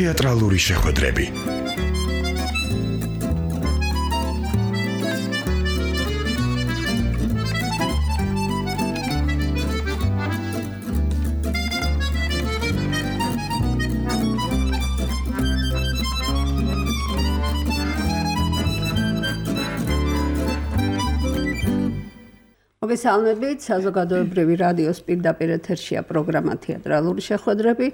თეატრალური შეხვედრები. მოგესალმებით, საზოგადოებრივი რადიოს პირდაპირ ეთერშია პროგრამა თეატრალური შეხვედრები,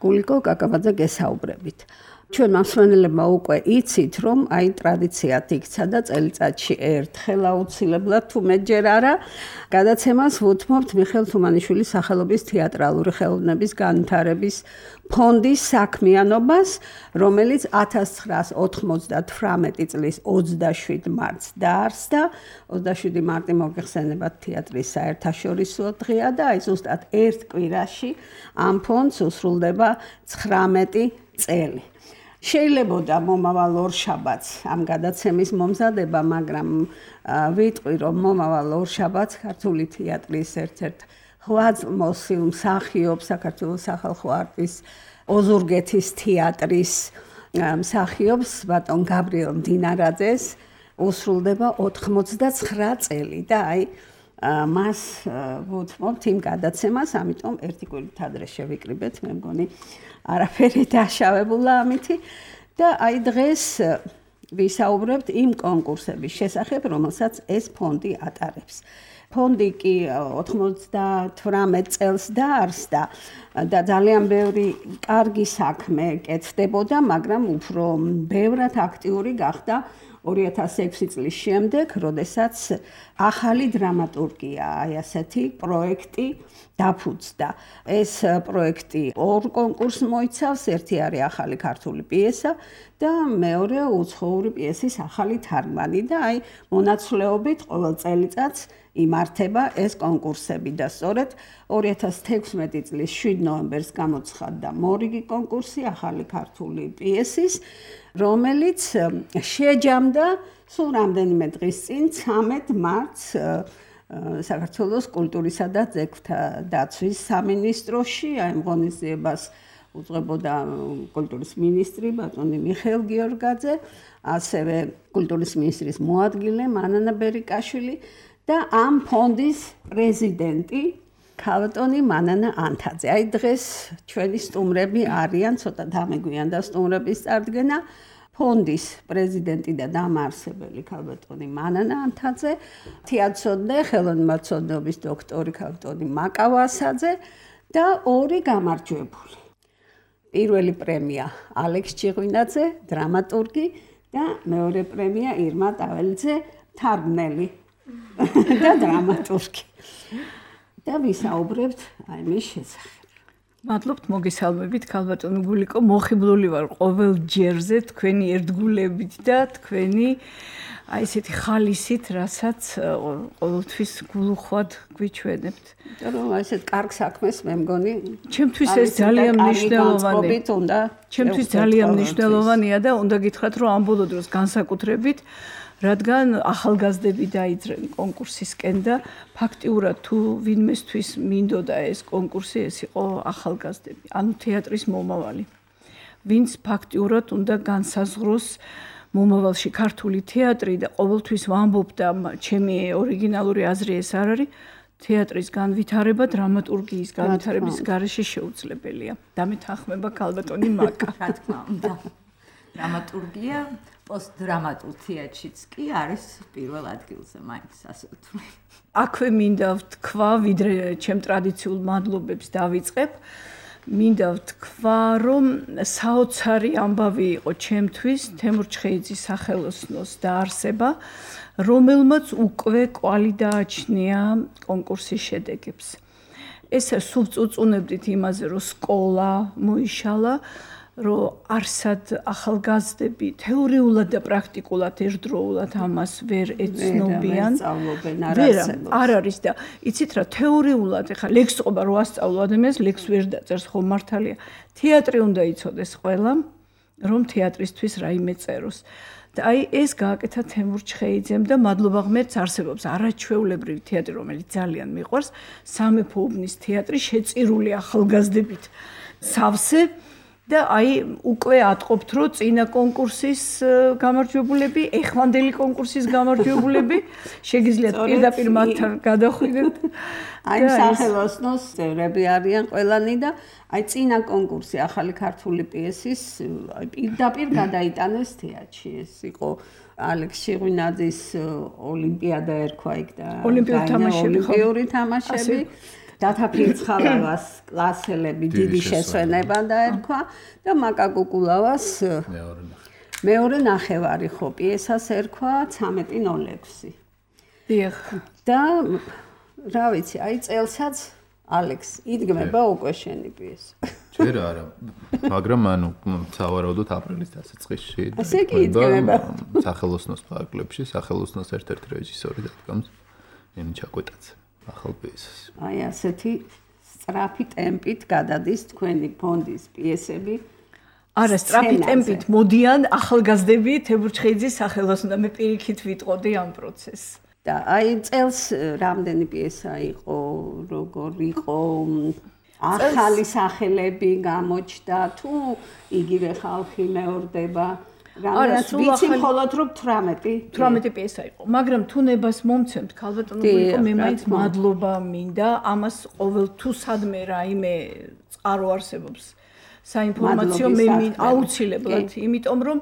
გულიკო კაკაბაძე გესაუბრებით. ჩვენ მსმენელებმა უკვე იცით, რომ ტრადიციად იქცა და წელიწადში ერთხელ აუცილებლად თუ მეტჯერ არა, გადაცემას ვუთმობთ მიხეილ თუმანიშვილის სახელობის თეატრალური ხელოვნების განვითარების ფონდის საქმიანობას, რომელიც 1998 წლის 27 მარტს დაარსდა. 27 მარტი მოგეხსენებათ თეატრის საერთაშორისო დღეა და ზუსტად ერთ კვირაში ამ ფონდს უსრულდება 19 წელი. შეიძლებოდა მომავალ ორშაბათს ამ გადაცემის მომზადება, მაგრამ ვიტყვი, რომ მომავალ ორშაბათს ქართული თეატრის ერთ-ერთ ღვაწლმოსილ მსახიობს საქართველოს სახალხო არტის ოზურგეთის თეატრის მსახიობს ბატონ გაბრიელ მდინარაძეს უსრულდება 89 წელი და მას ვუთმობთ იმ გადაცემას, ამიტომ ერთი კვირით ადრე შევიკრიბეთ, მე მგონი არაფერი დაშავებულა ამითი და დღეს ვისაუბრებთ იმ კონკურსების შესახებ, რომელსაც ეს ფონდი ატარებს. ფონდი კი 98 წელს დაარსდა და ძალიან ბევრი კარგი საქმე კეთდებოდა, მაგრამ უფრო ბევრად აქტიური გახდა 2006 წლის შემდეგ, როდესაც ახალი დრამატურგია, ასეთი პროექტი დაფუძნდა. ეს პროექტი ორ კონკურსს მოიცავს, ერთი არის ახალი ქართული პიესა და მეორე უცხოური პიესის ახალი თარგმანი და მონაცვლეობით ყოველ წელიწადს იმართება ეს კონკურსები და სწორედ 2016 წლის 7 ნოემბერს გამოცხადდა მორიგი კონკურსი ახალი ქართული პიესის, რომელიც შეჯამდა სულ რამდენიმე დღის წინ 13 მარტს საქართველოს კულტურისა და ძეგლთა დაცვის სამინისტროში. ამ ღონისძიებას უძღვებოდა კულტურის მინისტრი ბატონი მიხეილ გიორგაძე, ასევე კულტურის მინისტრის მოადგილე მანანა ბერიკაშვილი და ამ ფონდის პრეზიდენტი ქალბატონი მანანა ანთაძე. დღეს ჩვენი სტუმრები არიან, ცოტა დამეგვიანდა სტუმრების წარდგენა. ფონდის პრეზიდენტი და დამაარსებელი ქალბატონი მანანა ანთაძე, თეატრცოდნე, ხელოვნებაცოდნეობის დოქტორი ქალბატონი მაკავა ასაძე და ორი გამარჯვებული. პირველი პრემია ალექს ჭიღვინაძე, დრამატურგი და მეორე პრემია ირმა ტაველიძე, თარგმნელი და დრამატურგი. და ვისაუბრებთ მის შესახებ. მადლობთ, მოგესალმებით, ქალბატონო გულიკო, მოხიბლული ვარ ყოველ ჯერზე თქვენი ერთგულებით და თქვენი ესეთი ხალისით, რასაც ყოველთვის გულუხვად გვიჩვენებთ. რომ ესეთ კარგ საქმეს მე მგონი, ჩემთვის ეს ძალიან მნიშვნელოვანია. ჩემთვის ძალიან მნიშვნელოვანია და უნდა გითხრათ, რომ ამ ბოლო დროს განსაკუთრებით რადგან ახალგაზრდები დაიძრენ კონკურსისკენ და ფაქტიურად თუ ვინმესთვის მინდოდა ეს კონკურსი, ეს იყო ახალგაზრდები, ანუ თეატრის მომავალი. ვინც ფაქტიურად უნდა განსაზღვროს მომავალში ქართული თეატრი და ყოველთვის ვამბობ და ჩემი ორიგინალური აზრი ეს არ არის, თეატრის განვითარება დრამატურგიის განვითარების გარეშე შეუძლებელია. დამეთანხმება ქალბატონი მაკა. რა თქმა უნდა. დრამატურგია პოსტდრამატულ თეატრშიც კი არის პირველ ადგილზე, მაინც ასე ვთვლი. აქვე მინდა ვთქვა, ვიდრე ჩემ ტრადიციულ მადლობებს დავიწყებ, მინდა ვთქვა, რომ საოცარი ამბავი იყო ჩემთვის თემურ ჩხეიძის სახელოსნოს დაარსება, რომელმაც უკვე კვალი დააჩნია კონკურსის შედეგებს. ეს სულ წუწუნებდით იმაზე, რომ სკოლა მოიშალა, რომ არსად ახალგაზრდები თეორიულად და პრაქტიკულად ერთდროულად ამას ვერ ეცნობიან. არ არის და იცით რა, თეორიულად ეხლა ლექს ყოფა რო ასწავლო ადამიანს, ლექს ვერ დაწერს, ხო მართალია. თეატრი უნდა იცოდეს ყველა რომ თეატრისთვის რაიმე წეროს. და აი ეს გააკეთა თემურ ჩხეიძემ და მადლობა ღმერთს არსებობს არაჩვეულებრივი თეატრი, რომელიც ძალიან მიყვარს, სამეფო უბნის თეატრი შეწირული ახალგაზრდებით სავსე და აი უკვე ატყობთ, რომ წინა კონკურსის გამარჯვებულები, ეხლანდელი კონკურსის გამარჯვებულები შეგიძლიათ პირდაპირ მათთან გადახვიდეთ. აი სახელოსნოს წევრები არიან ყველანი და აი წინა კონკურსი ახალი ქართული პიესის პირდაპირ გადაიტანეს თეატრში. ეს იყო ალექს შიღვინაძის ოლიმპიადა ერქვა იქ და ოლიმპიური თამაშები. დათა ფირცხალავას კლასელები დიდი შესვენება დაერქვა და მაკა კუკულავას მეორე ნახევარი ხო პიესას ერქვა 13:06. დიახ. და რა ვიცი, აი წელსაც ალექს იდგმება უკვე შენი პიესა. ჯერ არა, მაგრამ ანუ სავარაუდოდ აპრილის დასაწყისში ასე კი იდგმება. სახელოსნოს ფარგლებში, სახელოსნოს ერთ-ერთი რეჟისორი დადგამს ენი ჩაკვეტაძე. ახალ პიესას. აი ასეთი სწრაფი ტემპით გადადის თქვენი ფონდის პიესები. არა, სწრაფი ტემპით მოდიან ახალგაზრდები თემურ ჩხეიძის სახელოსნო და მე პირიქით ვიტყოდი ამ პროცესს. და აი წელს რამდენი პიესა იყო, როგორ იყო ახალი სახელები გამოჩნდა თუ იგივე ხალხი მეორდება? არა, ვიცი მხოლოდ რომ 18 პიესა იყო, მაგრამ თუ ნებას მომცემთ ქალბატონო გულიკო, მე მაინც მადლობა მინდა, ამას ყოველ თუ სადმე რაიმე წყარო არსებობს საინფორმაციო მე აუცილებლად, იმიტომ რომ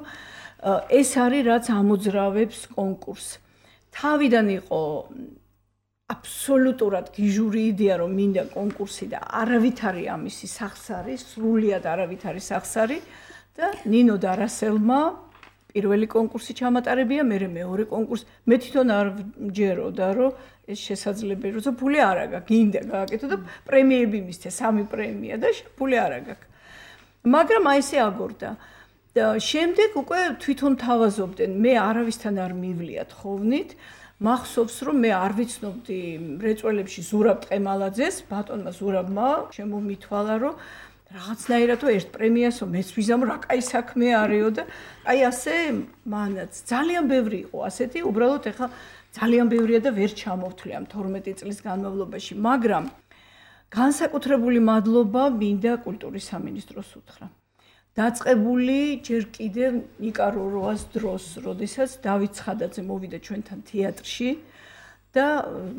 ეს არის რაც ამოძრავებს კონკურსს. თავიდან იყო აბსოლუტურად გიჟური იდეა რომ მინდა კონკურსი და არავით არის ამისი სახსარი, სრულიად არავით არის სახსარი და ნინო დარასელმა პირველი კონკურსი ჩამატარებია, მე მეორე კონკურსი. მე თვითონ არ ვჯეროდა, რომ ეს შესაძლებელი, როცა ფული არ აქვს, გინდა გააკეთო და პრემიები მისცე, 3 პრემია და ფული არ აქვს. მაგრამ აი ესე აგორდა. და შემდეგ უკვე თვითონ თავაზობდნენ, მე არავისთან არ მივლიათ ხოვნით. მახსოვს რომ მე არ ვიცნობდი მრეწველებში ზურაბ ტყემალაძეს, ბატონმა ზურაბმა შემომითვალა რომ რაღაცნაირად ერთ პრემიასო მეც ვიზამ რა კაი საქმე არისო და აი ასე მანაც ძალიან ბევრი იყო ასეთი, უბრალოდ ეხლა ძალიან ბევრია და ვერ ჩამოვთვლი ამ 12 წლის განმავლობაში, მაგრამ განსაკუთრებული მადლობა მინდა კულტურის სამინისტროს უთხრა. დაწყებული ჯერ კიდევ ნიკა როროას დროს, როდესაც დავით ცხადაძე მოვიდა ჩვენთან თეატრში და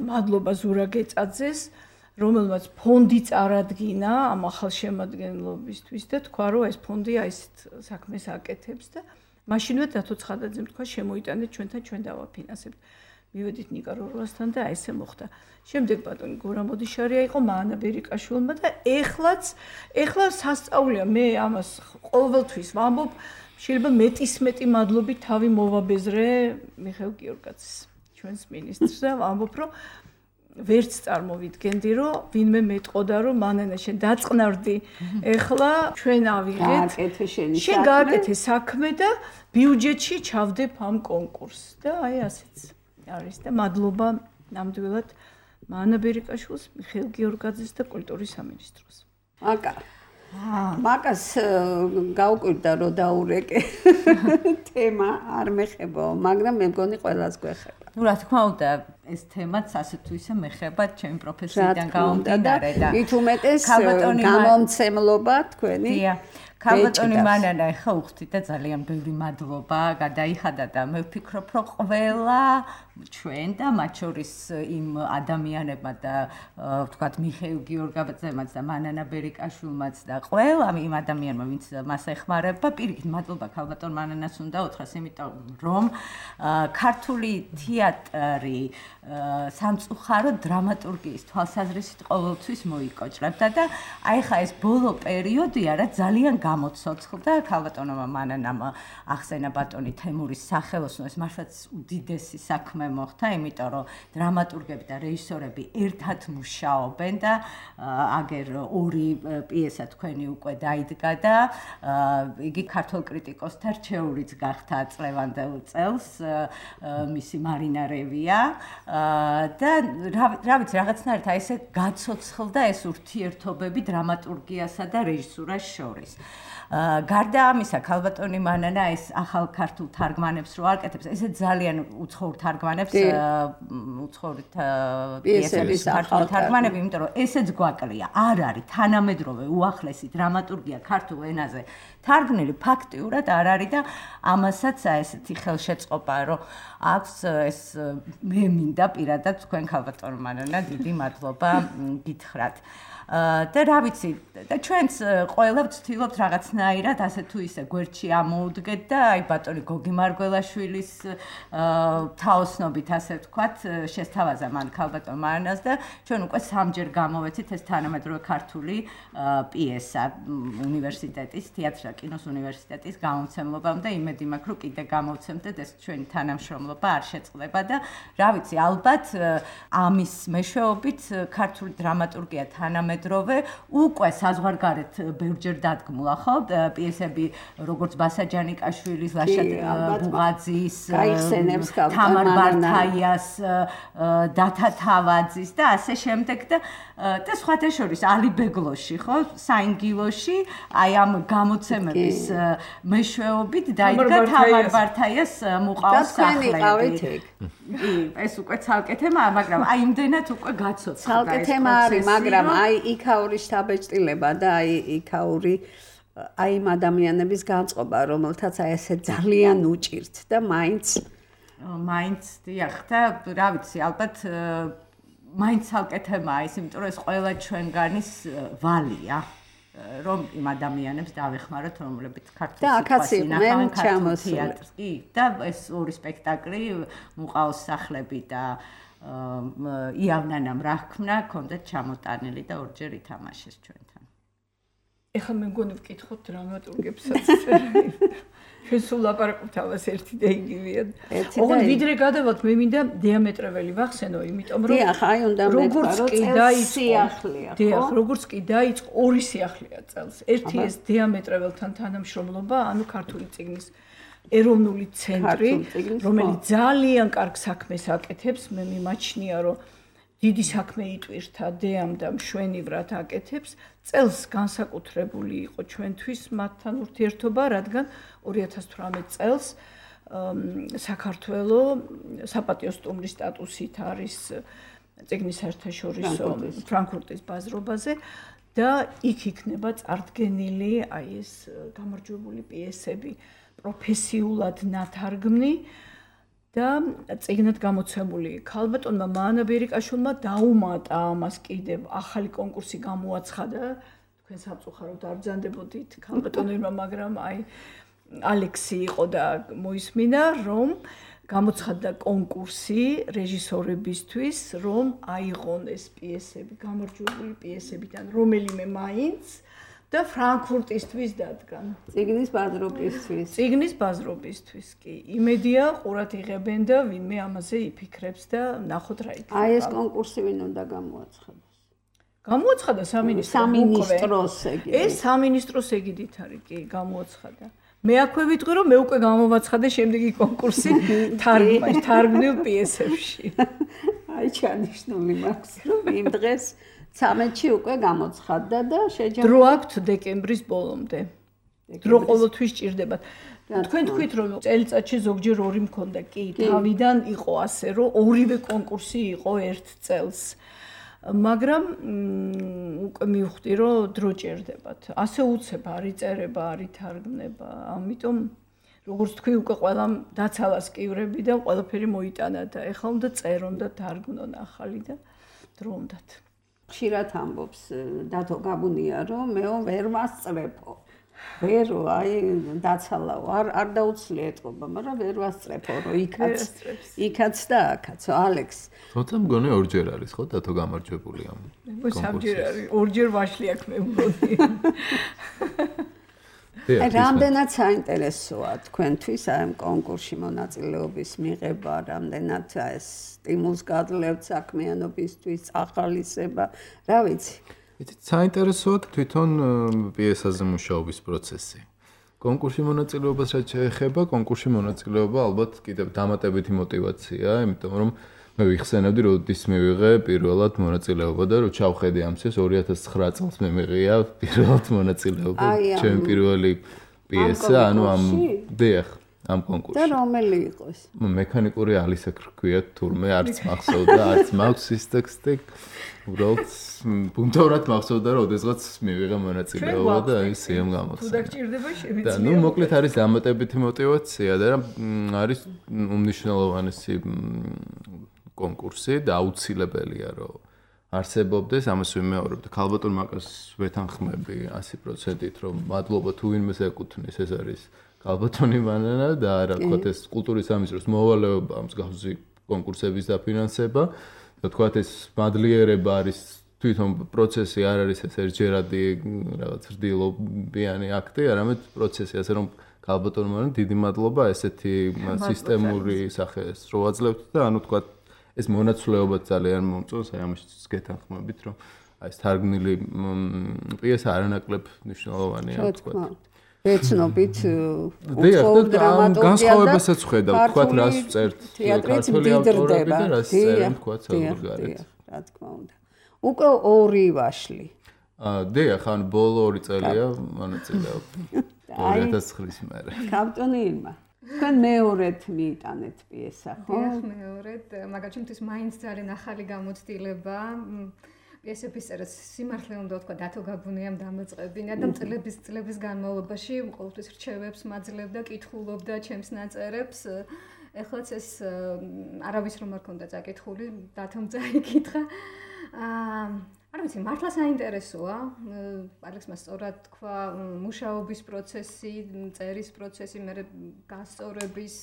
მადლობა ზურა გეწაძეს, რომელმაც ფონდი წარადგინა ამ ახალშემადგენლობისთვის და თქვა რომ ეს ფონდი აი ეს საქმეს აკეთებს და მაშინვე დათო ცხადაძემ თქვა შემოიტანეთ ჩვენთან, ჩვენ დავაფინანსებთ. მივედით ნიკა როროასთან და ესე მოხდა. შემდეგ ბატონი გორა მოდიშარია იყო, მაანა ბერიკაშვილმა და ეხლა სასწაულია მე ამას ყოველთვის ვამბობ, შეიძლება მეტისმეტი მადლობით თავი მოვაბეზრე მიხეილ გიორგაძეს, ჩვენს მინისტრს და ვამბობ, რომ ვერც წარმოვიდგენდი, რომ ვინმე მეტყოდა, რომ მანანა შენ დაწყნარდი, ეხლა ჩვენ ავიღეთ, შენ გააკეთე საქმე და ბიუჯეტში ჩავდებ ამ კონკურსს და აი ასეც არის და მადლობა ნამდვილად მაანა ბერიკაშვილს, მიხეილ გიორგაძეს და კულტურის სამინისტროს. მაკას გაუკვირდა რომ დაურეკე თემა არ მეხებო, მაგრამ მე მგონი ყველას გვეხება. ნუ რა თქმა უნდა, ეს თემაც ასე თუ ისე მეხება ჩემი პროფესიიდან გამომდინარე და მით უმეტეს გამომცემლობა თქვენი. ქალბატონი მანანა ეხა უხდი და ძალიან ბევრი მადლობა გადაიხადა და მე ვფიქრობ, რომ ყველა ჩვენ და მათ შორის იმ ადამიანებმა და ვთქვათ მიხეილ გიორგაძემაც და მანანა ბერიკაშვილმაც და ყველა იმ ადამიანმა ვინც მას ეხმარება, პირიქით მადლობა ქალბატონ მანანას უნდა უთხრას, იმიტომ რომ ქართული თეატრი სამწუხარო დრამატურგიის თვალსაზრისით ყოველთვის მოიკოჭრებდა და აი ხა ეს ბოლო პერიოდია რა ძალიან გამოცოცხლდა ქალბატონმა მანანამ ახსენა ბატონი თემურის სახელოსნო ეს მართლაც უდიდესი საქმე მოხდა, იმიტომ რომ დრამატურგები და რეჟისორები ერთად მუშაობენ და აგერ ორი პიესა თქვენი უკვე დაიდგა და იგი ქართულ კრიტიკოსთა რჩეულიც გახდა წლევანდელ წელს მისი მარინა რევია და რა ვიცი რაღაცნაირად აი ესე გაცოცხლდა ეს ურთიერთობები დრამატურგიასა და რეჟისურას შორის. გარდა ამისა, ქალბატონი მანანა ეს ახალ ქართულ თარგმანებს რო აკეთებს, ესე ძალიან უცხოურ თარგმანებს, უცხოური პიესების ახალ თარგმანები, იმიტომ რომ ესეც გვაკლია, არ არის თანამედროვე უახლესი დრამატურგია ქართულ ენაზე თარგმნილი ფაქტიურად არ არის და ამასაც ესეთი ხელშეწყობა რომ აქვს ეს მე მინდა პირადად თქვენ ქალბატონ მანანა დიდი მადლობა გითხრათ. და რა ვიცი და ჩვენც ყველა ვცდილობთ რაღაცნაირად ასე თუ ისე გვერდში ამოუდგეთ და აი ბატონი გოგი მარგველაშვილის თაოსნობით ასე ვთქვათ შესთავაზა მან ქალბატონ მანანას და ჩვენ უკვე სამჯერ გამოვეცით ეს თანამედროვე ქართული პიესა უნივერსიტეტის თეატრისა და კინოს უნივერსიტეტის გამომცემლობამ და იმედი მაქვს რომ კიდე გამოვცემთ და ეს ჩვენი თანამშრომლობა არ შეწყდება და რა ვიცი ალბათ ამის მეშვეობით ქართული დრამატურგია თანამედროვე უკვე საზღვარგარეთ ბევრჯერ დადგმულა ხო პიესები როგორც ბასა ჯანიკაშვილის ლაშა ბუღაძის გაიხსენებს თამარ ბართაიას დათა თავაძის და ასე შემდეგ და სხვათა შორის ალიბეგლოში ხო საინგილოში აი ამ გამოცემების მეშვეობით დაიდგა თამარ ბართაიას მუყაოს სახლები ეს უკვე ცალკე თემაა მაგრამ აი იმდენად უკვე გაცოცხლდა ცალკე თემა არის მაგრამ აი იქაური შთაბეჭდილება და აი იქაური აი იმ ადამიანების განწყობა რომელთაც აი ესე ძალიან უჭირთ და მაინც დიახ და რა ვიცი ალბათ მაინც ცალკე თემაა ის იმიტომ რომ ეს ყველა ჩვენგანის ვალია რომ იმ ადამიანებს დავეხმაროთ რომლებიც ქართულ სიტყვას ინახავენ ქართულ თეატრს კი და ეს ორი სპექტაკლი მუყაოს სახლები და იავნანამ რა ჰქნა ქონდათ ჩამოტანილი და ორჯერ ითამაშეს ჩვენთან ეხლა მე მგონი ვკითხოთ დრამატურგებსაც ჩვენ სულ ლაპარაკობთ ამას ერთი და იგივეა ოღონდ ვიდრე გადავალთ მე მინდა დიამეტრეველი ვახსენო იმიტომ რომ დიახ აი უნდა როგორც კი დაიწყო დიახ როგორც კი დაიწყო ორი სიახლეა წელს ერთი ეს დიამეტრეველთან თანამშრომლობა ანუ ქართული წიგნის ეროვნული ცენტრი რომელიც ძალიან კარგ საქმეს აკეთებს მე მიმაჩნია რომ დიდი საქმე იტვირთა დეამ და მშვენივრად აკეთებს წელს განსაკუთრებული იყო ჩვენთვის მათთან ურთიერთობა რადგან 2018 წელს საქართველოს საპატიო სტუმრის სტატუსით არის წიგნის საერთაშორისო ფრანკფურტის ბაზრობაზე და იქ იქნება წარდგენილი აი ეს გამარჯვებული პიესები პროფესიულად ნათარგმნი და წიგნად გამოცემული ქალბატონმა მანა ბერიკაშვილმა დაუმატა ამას კიდევ ახალი კონკურსი გამოაცხადა თქვენ სამწუხაროდ არ ბრძანდებოდით ქალბატონებმა მაგრამ აი ალექსი იყო და მოისმინა რომ გამოცხადდა კონკურსი რეჟისორებისთვის რომ აიღონ ეს პიესები გამარჯვებული პიესებიდან რომელიმე მაინც და ფრანკფურტისთვის დადგან. წიგნის ბაზრობისთვის. წიგნის ბაზრობისთვის კი. იმედია ყურად იღებენ და ვინმე ამაზე იფიქრებს და ნახოთ რა იქნება. აი ეს კონკურსი ვინ უნდა გამოაცხადოს? გამოაცხადა სამინისტროს ეგიდით. ეს სამინისტროს ეგიდით არის კი გამოაცხადა. მე აქვე ვიტყვი რომ მე უკვე გამოვაცხადე შემდეგი კონკურსი თარგმნილ პიესებში. აი ჩანიშნული მაქვს რომ იმ დღეს 13-ში უკვე გამოცხადდა და შეჯამდა. დრო აქვთ დეკემბრის ბოლომდე. დრო ყოველთვის ჭირდებათ. თქვენ თქვით რომ წელიწადში ზოგჯერ ორი მქონდა, კი, თავიდან იყო ასე რომ ორივე კონკურსი იყო ერთ წელს. მაგრამ უკვე მივხვდი რომ დრო ჭირდებათ. ასე უცებ არ იწერება, არ ითარგმნება. ამიტომ როგორც თქვი უკვე ყველამ დაცალას კივრები და ყველაფერი მოიტანა და ეხლა უნდა წერონ და თარგმნონ ახალი და დრო უნდათ. ხშირად ამბობს დათო გაბუნია რომ მეო ვერ ვასწრებო. ვერო აი დაცალაო არ დაუცლია ეთყობა, მაგრამ ვერ ვასწრებო რომ იქაც და აქაც ალექს. თუმცა მგონი ორჯერ არის ხო დათო გამარჯვებული ამ. სამჯერ არის, ორჯერ ვაშლი აქვს მე მგონი. რამდენად საინტერესოა თქვენთვის აი ამ კონკურსში მონაწილეობის მიღება, რამდენად ეს სტიმულს გაძლევთ საქმიანობისთვის, ახალისება, რა ვიცი. იცით, საინტერესოა თვითონ პიესაზე მუშაობის პროცესი. კონკურსში მონაწილეობას რაც შეეხება, კონკურსში მონაწილეობა ალბათ კიდევ დამატებითი мотиваცია, იმიტომ რომ მე ვიხსენებდი, როდის მივიღე პირველად მონაწილეობა და რო ჩავხედე ამ წელს 2009 წელს მე მიღია პირველად მონაწილეობა. ჩემი პირველი პიესა, ანუ ამ დიახ, ამ კონკურსში. და რომელი იყოს? მექანიკური ალისა რქვია, თურმე არც მახსოვდა, არც მაქვს ის ტექსტი. უბრალოდ პუნქტურად მახსოვდა, რომ ოდესღაც მივიღე მონაწილეობა და ის სიამ გამოცდა. თუ დაგჭირდება შემიძლია. და ნუ მოკლედ არის დამატებითი мотиваცია და არის უმნიშვნელოვანესი კონკურსი და აუცილებელია რომ არსებობდეს, ამას ვიმეორებ და ქალბატონ მაკას ვეთანხმები 100%-ით, რომ მადლობა თუ ვინმეს ეკუთვნის, ეს არის ქალბატონი მანანა და რა თქვათ ეს კულტურის სამინისტროს მოვალეობა მსგავსი კონკურსების დაფინანსება და თქვათ ეს მადლიერება არის თვითონ პროცესი არ არის ეს ერთჯერადი რაღაც რდილობიანი აქტი, არამედ პროცესი, ასე რომ ქალბატონმა დიდი მადლობა ესეთი სისტემური სახეს რო აძლევთ და ანუ თქვათ ეს მონაცვლეობა ძალიან მომწონს, აი ამაშიც გეთანხმებით, რომ აი ეს თარგმნილი პიესა არანაკლებ მნიშვნელოვანია, თქვათ. ეცნობით განსხვავებასაც ხედავ, თქვათ რას ვწერთ ქართული ავტორები და რას წერენ თქვათ საზღვარგარეთ. რა თქმა უნდა. უკვე 2 ვაშლი. დიახ, ან ბოლო 2 წელია მონაწილეობა. 2009-ის მერე. ქალბატონი ირმა. თქვენ მეორედ მიიტანეთ პიესა, ხო? დიახ, მეორედ, მაგალითად, ის მაინც ძალიან ახალი გამოცდილება. პიესების წერას სიმართლე უნდა ვთქვა, დათო გაბუნიამ დამოწყებინა და წლების განმავლობაში ყოველთვის რჩევებს მაძლევდა, კითხულობდა ჩემს ნაწერებს. ეხლაც ეს არავის რომ არ ქონდა წაკითხული, დათომ წაიკითხა. არ ვიცი, მართლა საინტერესოა. ალექსმა სწორად თქვა, მუშაობის პროცესი, წერის პროცესი, მე გასწორების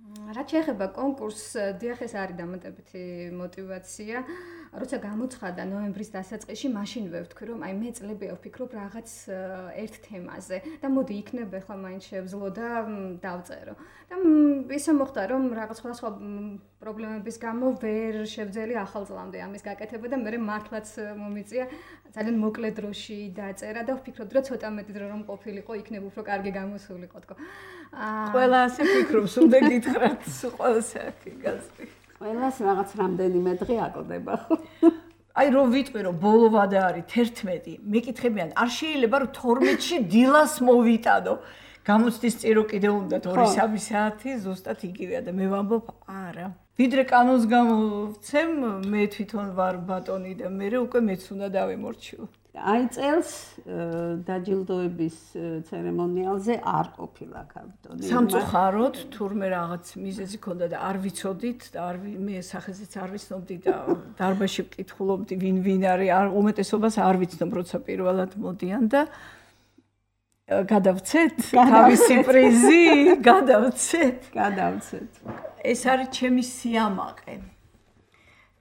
რაც შეეხება კონკურსს, დიახ, ეს არის დამატებითი мотиваცია. როცა გამოცხადა ნოემბრის დასაწყისში, მაშინ ვთქვი, რომ აი მე წლები ვფიქრობ რაღაც ერთ თემაზე და მოდი იქნება ახლა მაინც შევძლო და დავწერო. და ისე მოხდა, რომ რაღაც სხვა პრობლემების გამო ვერ შევძელი ახალ წლამდე ამის გაკეთება და მე მართლაც მომიწია ძალიან მოკლე დროში დაწერა და ვფიქრობდი, რომ ცოტა მეტი დრო რომ ყოფილიყო, იქნებ უფრო კარგი გამოსულიყო თქო. ყველა ასე ფიქრობს, უნდა გითხრათ, ყველას აქ გასწრი. ყველას რაღაც რამდენიმე დღე აკლდება ხო? აი რომ ვიტყვი რომ ბოლო ვადა არის 11, მეკითხებიან, არ შეიძლება რომ 12-ში დილას მოვიტანო. გამოცდის წირო კიდე უნდა 2-3 საათი ზუსტად იგივეა და მე ვამბობ არა. ვიდრე კანონს გამოვცემ, მე თვითონ ვარ ბატონი და მე უკვე მეც უნდა დავემორჩილო. აი წელს დაჯილდოების ცერემონიალზე არ ყოფილა ქალბატონი. სამწუხაროდ, თურმე რაღაც მიზეზი ქონდა და არ ვიცოდით და მე სახეზეც არ ვიცნობდი და დარბაზში ვკითხულობდი ვინ არის, უმეტესობას არ ვიცნობ, როცა პირველად მოდიან და გადავცეთ თავისი პრიზი, გადავცეთ. ეს არის ჩემი სიამაყე.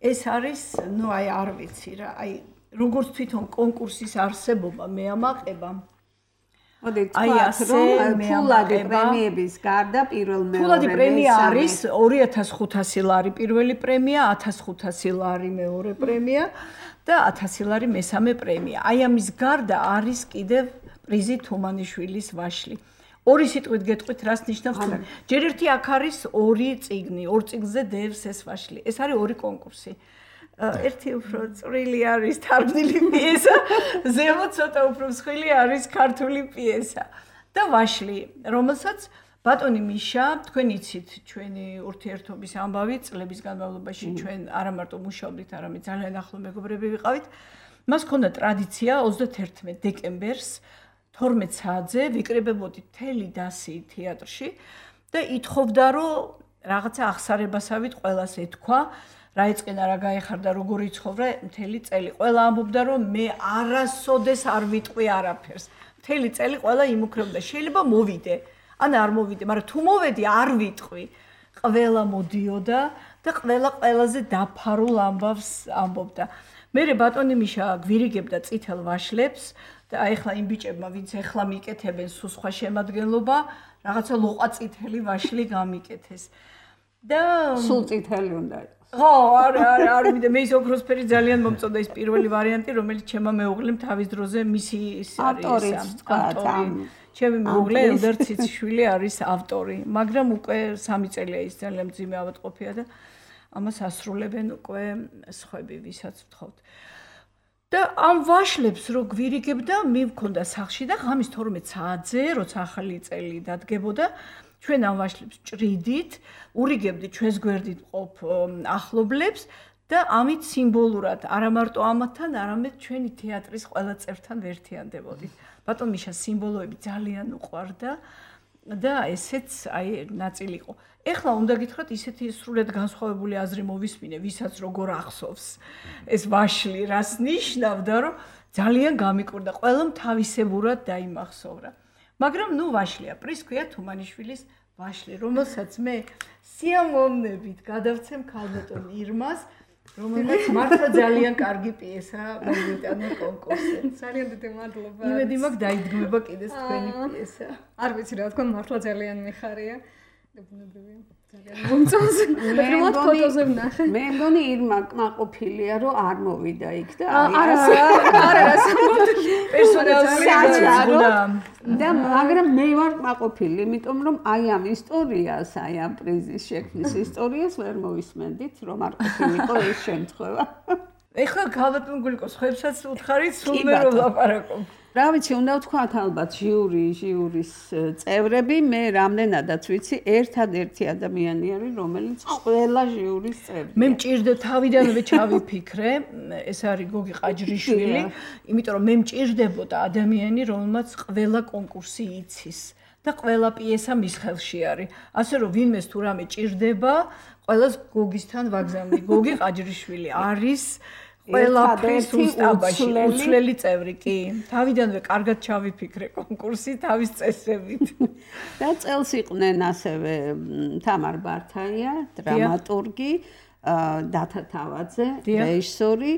ეს არის, ნუ აი არ ვიცი რა, აი როგორც თვითონ კონკურსის არსებობა მე ამაყება. მოდი თქვათ, რომ ფულადი პრემიების გარდა პირველ მეორე ფულადი პრემია არის 2500 ლარი პირველი პრემია, 1500 ლარი მეორე პრემია და 1000 ლარი მესამე პრემია. აი ამის გარდა არის კიდევ პრიზი თუმანიშვილის ვაშლი. 2 სიტყვით გეტყვით, რას ნიშნავს თუმანი. ჯერ ერთი აქ არის 2 წიგნი, 2 წიგნზე დევს ეს ვაშლი. ეს არის 2 კონკურსი. ერთი უფრო წვრილი არის თარგმნილი პიესა, ზემოთ ცოტა უფრო მსხვილი არის ქართული პიესა და ვაშლი, რომელსაც ბატონი მიშა, თქვენ იცით ჩვენი ურთიერთობის ამბავი წლების განმავლობაში ჩვენ არა მარტო მუშაობდით, არამედ ძალიან ახლო მეგობრები ვიყავით. მას ჰქონდა ტრადიცია 31 დეკემბერს 12 საათზე ვიკრიბებოდით მთელი დასი თეატრში და ითხოვდა რომ რაღაცა აღსარებასავით ყველას ეთქვა რა ეწყინა რა გაეხარდა როგორ იცხოვრა მთელი წელი. ყველა ამბობდა რომ მე არასოდეს არ ვიტყვი არაფერს. მთელი წელი ყველა იმუქრებდა. შეიძლება მოვიდე, ან არ მოვიდე, მაგრამ თუ მოვედი არ ვიტყვი. ყველა მოდიოდა და ყველაზე დაფარულ ამბავს ამბობდა. მერე ბატონი მიშა გვირიგებდა წითელ ვაშლებს და ახლა იმ ბიჭებმა ვინც ახლა მიკეთებენ სულ სხვა შემადგენლობა, რაღაცა ლოყა წითელი ვაშლი გამიკეთეს. და სულ წითელი უნდა იყოს. ხო, არ მიდე მე ის ოქროსფერი ძალიან მომწონდა ის პირველი ვარიანტი, რომელიც ჩემმა მეუღლემ თავის დროზე მისი ავტორი. ჩემი მეუღლე ელდარ ციციშვილი არის ავტორი, მაგრამ უკვე 3 წელია ის ძალიან მძიმე ავადმყოფია და ამას ასრულებენ უკვე სხვები, ვისაც ვთხოვთ. და ამ ვაშლებს რო გვირიგებდა, მივქონდა სახლში და ღამის 12 საათზე, როცა ახალი წელი დადგებოდა, ჩვენ ამ ვაშლებს ჭრიდით, ურიგებდით ჩვენს გვერდით მყოფ ახლობლებს და ამით სიმბოლურად არა მარტო ამათთან, არამედ ჩვენი თეატრის ყველა წევრთან ვერთიანდებოდით. ბატონ მიშა სიმბოლოები ძალიან უყვარდა და ესეც ნაწილი იყო. ეხლა უნდა გითხრათ, ისეთი სრულად განსხვავებული აზრი მოვისმინე, ვისაც როგორ ახსოვს ეს ვაშლი, რას ნიშნავდა, რომ ძალიან გამიკურდა, ყველამ თავისებურად დაიმახსოვრა. მაგრამ ვაშლია, პრისქვია თუმანიშვილის ვაშლი, რომელსაც მე სიამოვნებით გადავცემ ქალბატონ ირმას, რომელმაც მართლა ძალიან კარგი პიესა მოგვიტანა კონკურსზე. ძალიან დიდი მადლობა. იმედი მაქვს დაიდგმება კიდეც თქვენი პიესა. არ ვიცი რა თქვა, მართლა ძალიან მიხარია. ბუნებრივია. ძალიან მომწონს. პრიმოთ ფოტოზე ვნახე. მე მგონი ირმა კმაყოფილია, რომ არ მოვიდა იქ და არა, და მაგრამ მე ვარ კმაყოფილი, იმიტომ რომ აი ამ ისტორიას, აი ამ პრიზის შექმნის ისტორიას ვერ მოვისმენდით, რომ არ ყოფილიყო ეს შემთხვევა. ეხლა ქალბატონ გულიკოს ხებსაც უთხარით, სულ მე რომ ლაპარაკობ. რა ვიცი, უნდა ვთქვათ ალბათ ჟიურის წევრები, მე რამდენადაც ვიცი, ერთადერთი ადამიანი არის, რომელიც ყველა ჟიურის წევრი. მე მჭირდა თავიდანვე ჩავიფიქრე, ეს არის გოგი ყაჯრიშვილი, იმიტომ რომ მე მჭირდებოდა ადამიანი, რომელმაც ყველა კონკურსი იცის და ყველა პიესა მის ხელში არის. ასე რომ ვინმეს თუ რამე ჭირდება, ყველას გოგისთან ვაგზავნი. გოგი ყაჯრიშვილი არის ყველაფრის უსტაბაში უცვლელი წევრი, კი. თავიდანვე კარგად ჩავიფიქრე კონკურსი თავის წესებით. და წელს იყვნენ ასევე თამარ ბართაია, დრამატურგი, დათა თავაძე, რეჟისორი,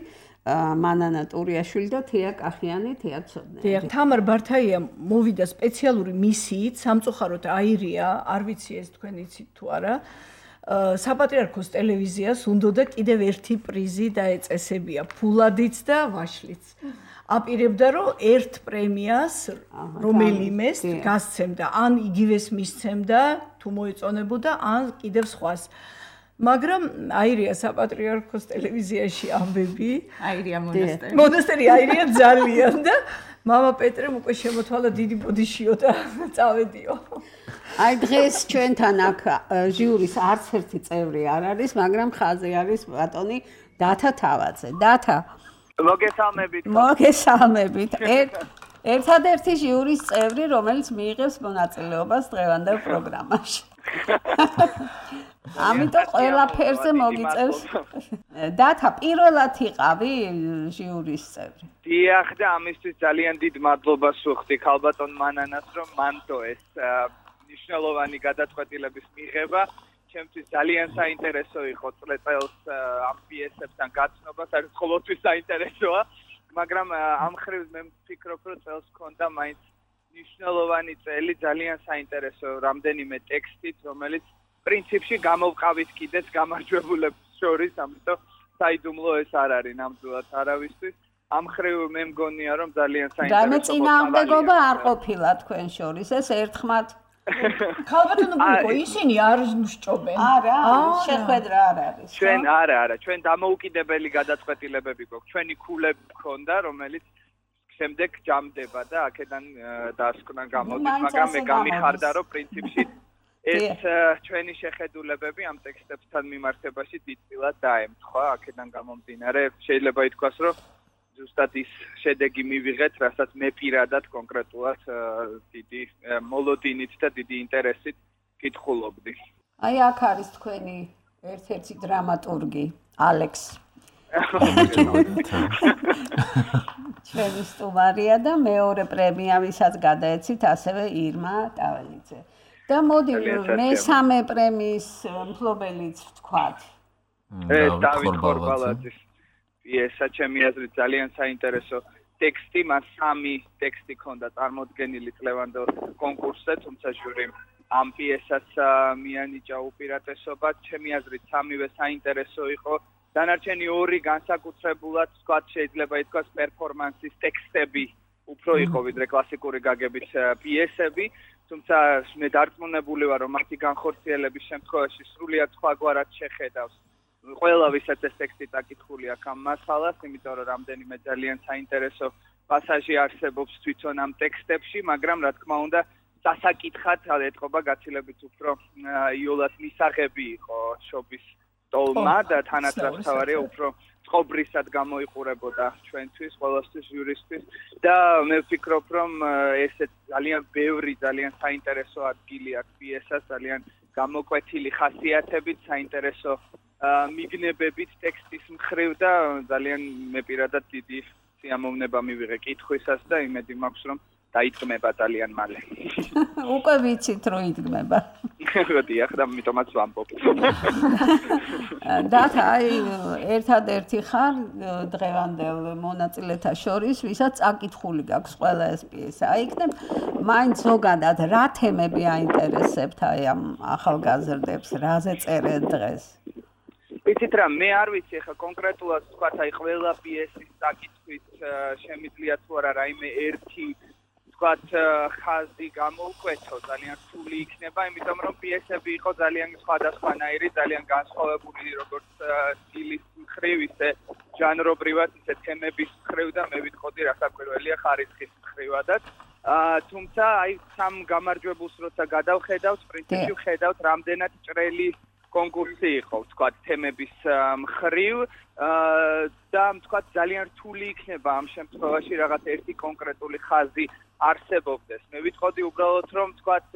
მანანა ტურიაშვილი და თეა კახიანი, თეატრმცოდნე. თამარ ბართაია მოვიდა სპეციალური მისიით, სამწუხაროდ აირია, არ ვიცი ეს თქვენ იცით თუ არა. საპატრიარქოს ტელევიზიას უნდოდა კიდევ ერთი პრიზი დაეწესებია, ფულადიც და ვაშლიც. აპირებდა, რომ ერთ პრემიას რომელიმეს გასცემდა, ან იგივეს მისცემდა, თუ მოეწონებოდა, ან კიდევ სხვას. მაგრამ აირია საპატრიარქოს ტელევიზიაში ამბები, აირია მონასტერი. მონასტერი აირია ძალიან და მამა პეტრემ უკვე შემოთვალა დიდი ბოდიშიო და წავედიო. აი დღეს ჩვენთან აქ ჟიურის არც ერთი წევრი არ არის, მაგრამ ხაზი არის ბატონი დათა თავაძე. დათა. მოგესალმებით. ერთადერთი ჟიურის წევრი, რომელიც მიიღებს მონაწილეობას დღევანდელ პროგრამაში. ამიტომ ყველაფერზე მოგიწევს. დათა, პირველად იყავი ჟიურის წევრი. დიახ და ამისთვის ძალიან დიდ მადლობას ვუხდი ქალბატონ მანანას, რომ მანდო ეს ნიშნულოვანი გადაწყვეტილების მიღება. ჩემთვის ძალიან საინტერესო იყო წელს ამ პიესებთან გაცნობა, საერთოდ ყოველთვის საინტერესოა, მაგრამ ამ მხრივ მე ვფიქრობ, რომ წელს ქონდა მაინც ნიშნულოვანი წელი, ძალიან საინტერესო რამდენიმე ტექსტით, რომელიც პრინციპში გამოვყავით კიდეც გამარჯვებულებს შორის, ამიტომ საიდუმლო ეს არ არის ნამდვილად არავისთვის. ამ მხრივ მე მგონია, რომ ძალიან საინტერესო. და მე წინააღმდეგობა არ ყოფილა თქვენ შორის, ეს ერთხმად ქალბატონო გულიკო, ისინი არ მსჭობენ. არა, შეხვედრა არ არის. ჩვენ არა, ჩვენ დამოუკიდებელი გადაწყვეტილებები გვაქვს. ჩვენი ქულები გქონდა, რომელიც შემდეგ ჯამდება და აქედან დასკვნა გამოდის, მაგრამ მე გამიხარდა, რომ პრინციპში ეს ჩვენი შეხედულებები ამ ტექსტებთან მიმართებაში დიდწილად დაემთხვა, აქედან გამომდინარე, შეიძლება ითქვას, რომ ზუსტად ის შედეგი მივიღეთ, რასაც მე პირადად კონკრეტულად დიდი მოლოდინით და დიდი ინტერესით კითხულობდი. აი აქ არის თქვენი ერთ-ერთი დრამატურგი, ალექს. ჩვენი სტუმარია და მეორე პრემია, ვისაც გადაეცით, ასევე ირმა ტაველიძე. და მოდი მესამე პრემიის მფლობელიც ვთქვათ. დავით ხორბალაძის პიესა, ჩემი აზრით ძალიან საინტერესო ტექსტი, მას 3 ტექსტი ჰქონდა წარმოდგენილი წლევანდელ კონკურსზე, თუმცა ჟურიმ ამ პიესას მიანიჭა უპირატესობა, ჩემი აზრით 3-ვე საინტერესო იყო. დანარჩენი 2 განსაკუთრებულად, ვთქვათ, შეიძლება ითქვას პერფორმანსის ტექსტები უფრო იყო ვიდრე კლასიკური გაგებით პიესები, თუმცა მე დარწმუნებული ვარ, რომ მათი განხორციელების შემთხვევაში სრულიად სხვაგვარად შეხედავს ყველა ვისაც ეს ტექსტი წაკითხული აქვს ამ მასალას, იმიტომ რომ რამდენიმე ძალიან საინტერესო პასაჟი არსებობს თვითონ ამ ტექსტებში, მაგრამ რა თქმა უნდა სასაკითხად ეთყობა გაცილებით უფრო იოლად მისაღები იყო შობის ტოლმა და თანაც რაც თავარია უფრო წყობრისად გამოიყურებოდა ჩვენთვის, ყველასთვის ჟურისთვის და მე ვფიქრობ, რომ ესეც ძალიან ბევრი, ძალიან საინტერესო ადგილი აქვს პიესას, ძალიან გამოკვეთილი ხასიათებით, საინტერესო მიგნებებით ტექსტის მხრივ და ძალიან მე პირადად დიდი სიამოვნება მივიღე კითხვისას და იმედი მაქვს, რომ დაიდგმება ძალიან მალე. უკვე ვიცით რომ იდგმება. დიახ, და ამიტომაც ვამბობ. დათა, ერთადერთი ხარ დღევანდელ მონაწილეთა შორის, ვისაც წაკითხული გაქვს ყველა ეს პიესა. იქნებ მაინც ზოგადად რა თემები აინტერესებთ ამ ახალგაზრდებს, რაზე წერენ დღეს? ვიცით რა, მე არ ვიცი ხა კონკრეტულად თქვათ, ყველა პიესის წაკითხვით შემიძლია თუ არა რაიმე ერთი თქვათ ხაზი გამოვკვეთო, ძალიან რთული იქნება, იმიტომ რომ პიესები იყო ძალიან სხვადასხვანაირი, ძალიან განსხვავებული როგორც სტილის მხრივ, ისე ჟანრობრივად, ისე თემების მხრივ და მე ვიტყოდი რასაკვირველია ხარისხის მხრივადაც. თუმცა აი სამ გამარჯვებულს როცა გადავხედავთ, პრინციპში ვხედავთ რამდენად ჭრელი კონკურსი იყო, თქვათ, თემების მხრივ და თქვათ ძალიან რთული იქნება ამ შემთხვევაში რაღაც ერთი კონკრეტული ხაზი არსებობდეს. მე ვიტყოდი უბრალოდ რომ თქვათ,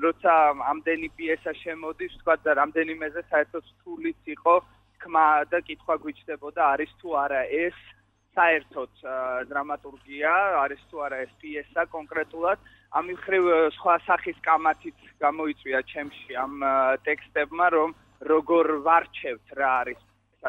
როცა ამდენი პიესა შემოდის, თქვათ და რამდენიმეზე საერთოდ რთულიც იყო თქმა და კითხვა გვიჩნდებოდა, არის თუ არა ეს საერთოდ დრამატურგია, არის თუ არა ეს პიესა კონკრეტულად. ამ მხრივ სხვა სახის კამათიც გამოიწვია ჩემში ამ ტექსტებმა, რომ როგორ ვარჩევთ რა არის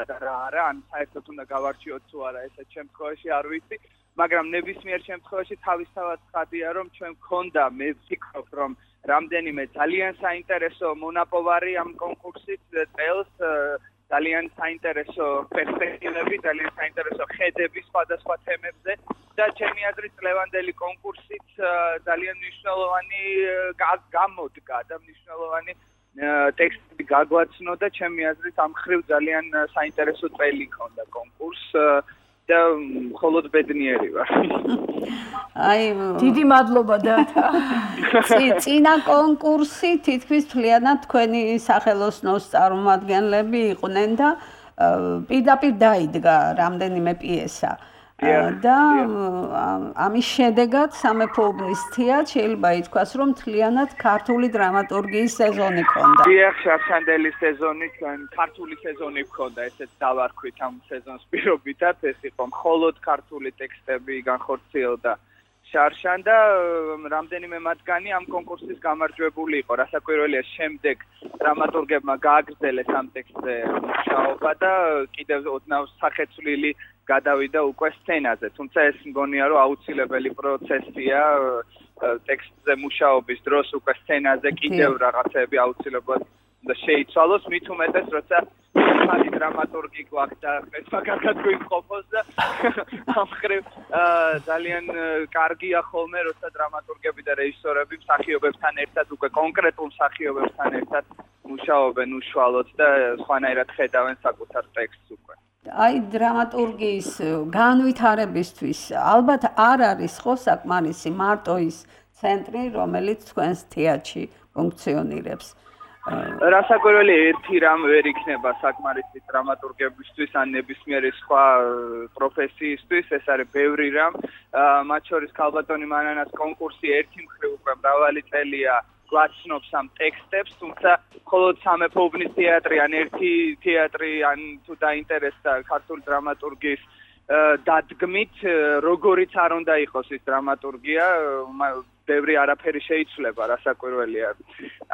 და რა არა, ან საერთოდ უნდა გავარჩიოთ თუ არა, ესეც შემთხვევაში არ ვიცი, მაგრამ ნებისმიერ შემთხვევაში თავისთავად ცხადია, რომ ჩვენ გქონდა, მე ვფიქრობ, რომ რამდენიმე ძალიან საინტერესო მონაპოვარი ამ კონკურსით წელს, ძალიან საინტერესო პერსპექტივები, ძალიან საინტერესო ხედები სხვადასხვა თემებზე და ჩემი აზრით წლევანდელი კონკურსით ძალიან მნიშვნელოვანი გამოდგა და მნიშვნელოვანი ტექსტი გაგვაცნო და ჩემი აზრით ამ მხრივ ძალიან საინტერესო წელი ჰქონდა კონკურსს და მხოლოდ ბედნიერი ვარ. აი, დიდი მადლობა დათა. წინა კონკურსი თითქმის მთლიანად თქვენი სახელოსნოს წარმომადგენლები იყვნენ და პირდაპირ დაიდგა რამდენიმე პიესა. და ამის შედეგად სამეფო უბნის თეატრ შეიძლება ითქვას, რომ მთლიანად ქართული დრამატურგიის სეზონი ჰქონდა. დიახ, შარშანდელი სეზონი, ქართული სეზონი ჰქონდა, ესეც დავარქვით ამ სეზონს პირობითად, ეს იყო მხოლოდ ქართული ტექსტები განხორციელდა შარშან და რამდენიმე მათგანი ამ კონკურსის გამარჯვებული იყო. რასაკვირველია, შემდეგ დრამატურგებმა გააგრძელეს ამ ტექსტზე მუშაობა და კიდევ ოდნავ სახეცვლილი გადავიდა უკვე სცენაზე. თუმცა ეს მგონია, რომ აუცილებელი პროცესია ტექსტზე მუშაობის დროს უკვე სცენაზე კიდევ რაღაცები აუცილებლად და შეიცვალოს, მით უმეტეს, როცა ხალი დრამატურგი გვაქვს და ეს მაგარად გვიმყოფოს და ამ მხრივ ძალიან კარგია ხოლმე, როცა დრამატურგები და რეჟისორები მსახიობებთან ერთად უკვე კონკრეტულ მსახიობებთან ერთად მუშაობენ უშუალოდ და სხვანაირად ხედავენ საკუთარ ტექსტს უკვე. აი დრამატურგიის განვითარებისთვის ალბათ არ არის ხო საკმარისი მარტო ის ცენტრი, რომელიც თქვენს თეატრში ფუნქციონირებს. რასაკვირველი ერთი რამ ვერ იქნება საკმარისი დრამატურგებისთვის ან ნებისმიერი სხვა პროფესიისთვის, ეს არის ბევრი რამ, მათ შორის ქალბატონი მანანას კონკურსი ერთი მხრივ უკვე მრავალი წელია გვაცნობს ამ ტექსტებს, თუმცა მხოლოდ სამეფო უბნის თეატრი ან ერთი თეატრი ან თუ დაინტერესდა ქართული დრამატურგიის დადგმით, როგორიც არ უნდა იყოს ის დრამატურგია, ბევრი არაფერი შეიცვლება, რასაკვირველია.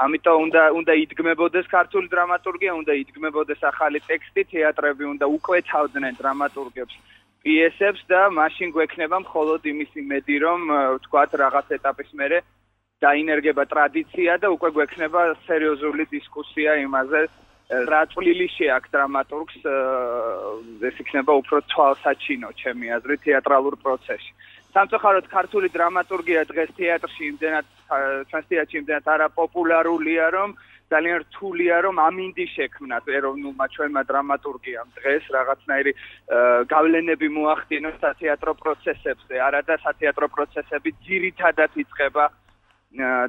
ამიტომ უნდა იდგმებოდეს ქართული დრამატურგია, უნდა იდგმებოდეს ახალი ტექსტი, თეატრები უნდა უკვეთავდნენ დრამატურგებს პიესებს და მაშინ გვექნება მხოლოდ იმის იმედი, რომ ვთქვათ რაღაც ეტაპის მერე დაინერგება ტრადიცია და უკვე გვექნება სერიოზული დისკუსია იმაზე, რა წვლილი შეაქვს დრამატურგს, ეს იქნება უფრო თვალსაჩინო, ჩემი აზრით, თეატრალურ პროცესში. სამწუხაროდ ქართული დრამატურგია დღეს თეატრში ჩვენს თეატრში იმდენად არაპოპულარულია, რომ ძალიან რთულია რომ ამინდი შექმნათ ეროვნულმა ჩვენმა დრამატურგიამ დღეს რაღაცნაირი გავლენები მოახდინოს სათეატრო პროცესებზე, არადა სათეატრო პროცესები ძირითადად იწყება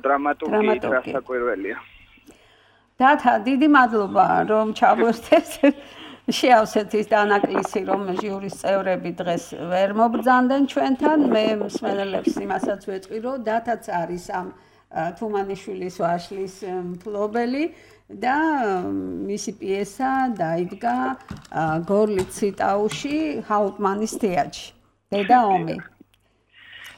დრამატურგიით, რასაკვირველია. დათა, დიდი მადლობა რომ ჩავერთეთ შეავსეთის დანაკლისი რომ ჟიურის წევრები დღეს ვერ მობრძანდნენ ჩვენთან. მე მსმენელებს იმასაც ვეთქვი რომ დათაც არის ამ თუმანიშვილის ვაშლის მფლობელი და მისი პიესა დაიდგა გორლით ციტაუში ჰაუტმანის თეატრში. დედა ომი.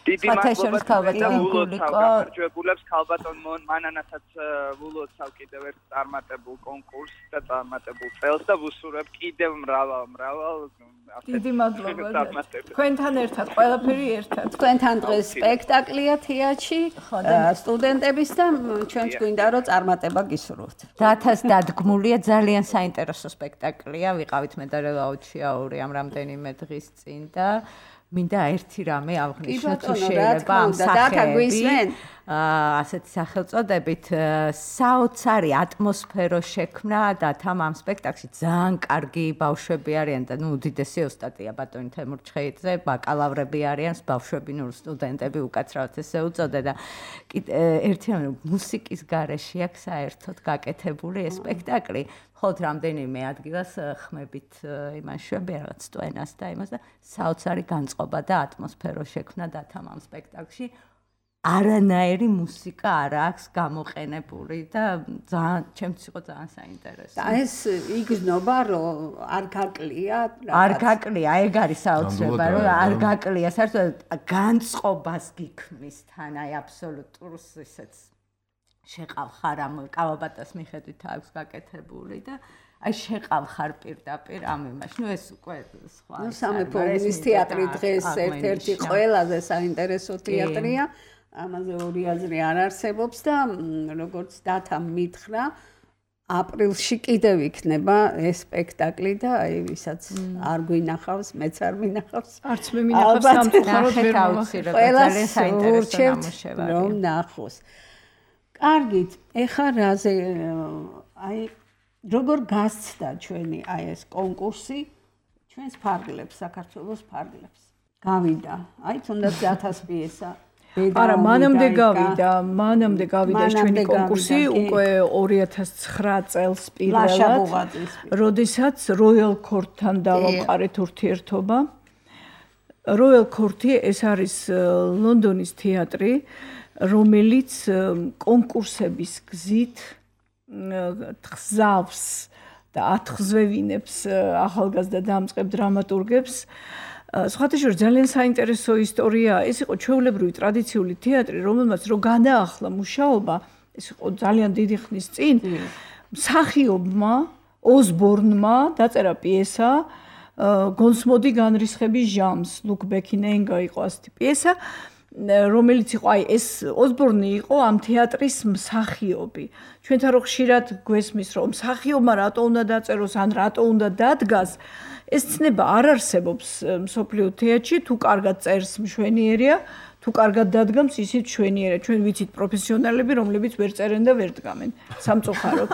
დიდი მადლობა გამარჯვებულებს ქალბატონ მანანასაც ვულოცავ კიდევ ერთ წარმატებულ კონკურსს და წარმატებულ წელს და ვუსურვებ კიდევ მრავალ დიდი მადლობა. თქვენთან ერთად ყველაფერი ერთად. თქვენთან დღეს სპექტაკლია თეატრში სტუდენტების და ჩვენც გვინდა რომ წარმატება გისურვოთ. დათას დადგმულია ძალიან საინტერესო სპექტაკლია. ვიყავით მე და რელაუჩიაური ამ რამდენიმე დღის წინ და მინდა ერთი რამე აღნიშნო თუ შეიძლება ამ სახეები ასეთი სახელწოდებით საოცარი ატმოსფერო შექმნა და თამ ამ სპექტაკლში ძალიან კარგი ბავშვები არიან და უდიდესი ოსტატია ბატონი თემურ ჩხეიძე, ბაკალავრები არიან, ბავშვები სტუდენტები უკაცრავად ესე უწოდე და ერთი რამე მუსიკის გარეშე აქვს საერთოდ გაკეთებული ეს სპექტაკლი. ხოთ რამდენიმე ადგილას ხმებით იმას შვები რაღაც სტვენას და იმას და საოცარი განწყობა და ატმოსფერო შექმნა და თამ ამ სპექტაკლში არანაირი მუსიკა არ აქვს გამოყენებული და ძალიან ჩემთვის იყო ძალიან საინტერესო. და ეს იგრძნობა რომ არ გაკლია არ გაკლია, ეგ არის საოცრება რომ არ გაკლია, საერთოდ განწყობას გიქმნის თან აი აბსოლუტურს ისეც შეყავხარ ამ კავაბატას მიხედვით აქვს გაკეთებული და აი შეყავხარ პირდაპირ ამ იმაში. ეს უკვე სხვა. სამეფო ომის თეატრი დღეს ერთ-ერთი ყველაზე საინტერესო თეატრია. ამაზე ორი აზრი არ არსებობს და როგორც დათამ მითხრა, აპრილში კიდევ იქნება ეს სპექტაკლი და აი ვისაც არ გვინახავს, მეც არ მინახავს. არც მე მინახავს სამწუხაროდ ვერ მოვახერხებ. ძალიან საინტერესო ნამუშევარი. რომ ნახოს. კარგით, ეხა რაზე აი როგორ გასცდა ჩვენი აი ეს კონკურსი ჩვენს ფარგლებს, საქართველოს ფარგლებს. გავიდა, აი თუნდაც დათას პიესა. არა, მანამდე გავიდა ჩვენი კონკურსი უკვე 2009 წელს პირველად, როდესაც Royal Court-თან დავამყარეთ ურთიერთობა. Royal Court-ი ეს არის ლონდონის თეატრი, რომელიც კონკურსების გზით თხზავს და ათხზვევინებს ახალგაზრდა დამწყებ დრამატურგებს. სხვათა შორის ძალიან საინტერესო ისტორიაა. ეს იყო ჩვეულებრივი ტრადიციული თეატრი, რომელმაც რო განაახლა მუშაობა, ეს იყო ძალიან დიდი ხნის წინ, მსახიობმა ოსბორნმა დაწერა პიესა გონსმოდი განრისხების ჟამს, ლუკ ბექინენგა იყო ასეთი პიესა, რომელიც იყო აი ეს ოსბორნი იყო ამ თეატრის მსახიობი. ჩვენთან რო ხშირად გვესმის რომ მსახიობმა რატო უნდა დაწეროს ან რატო უნდა დადგას, ეს ცნება არ არსებობს მსოფლიო თეატრში, თუ კარგად წერს მშვენიერია, თუ კარგად დადგამს ისიც მშვენიერია. ჩვენ ვიცით პროფესიონალები, რომლებიც ვერ წერენ და ვერ დგამენ სამწუხაროდ.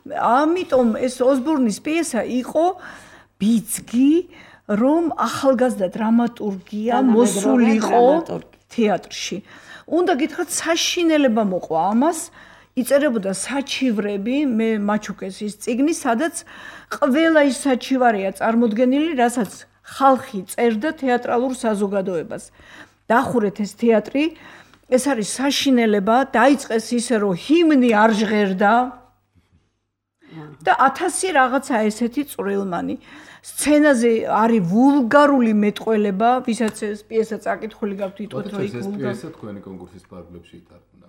ამიტომ ეს ოსბორნის პიესა იყო ბიძგი, რომ ახალგაზრდა დრამატურგია მოსულიყო თეატრში. უნდა გითხრათ, საშინელება მოყვა ამას, იწერებოდა საჩივრები, მე მაჩუკეს ის წიგნი, სადაც ყველა ის საჩივარია წარმოდგენილი, რასაც ხალხი წერდა თეატრალურ საზოგადოებას. დახურეთ ეს თეატრი, ეს არის საშინელება, დაიწყეს ისე, რომ ჰიმნი არ ჟღერდა და 1000 რაღაცა ესეთი წვრილმანი. სცენაზე არის ვულგარული მეტყველება, ვისაც ეს პიესა წაკითხული გაქვთ, იტყვით რომ იქ ვულგარული. ეს პიესა თქვენი კონკურსის ფარგლებში ითარგმნა.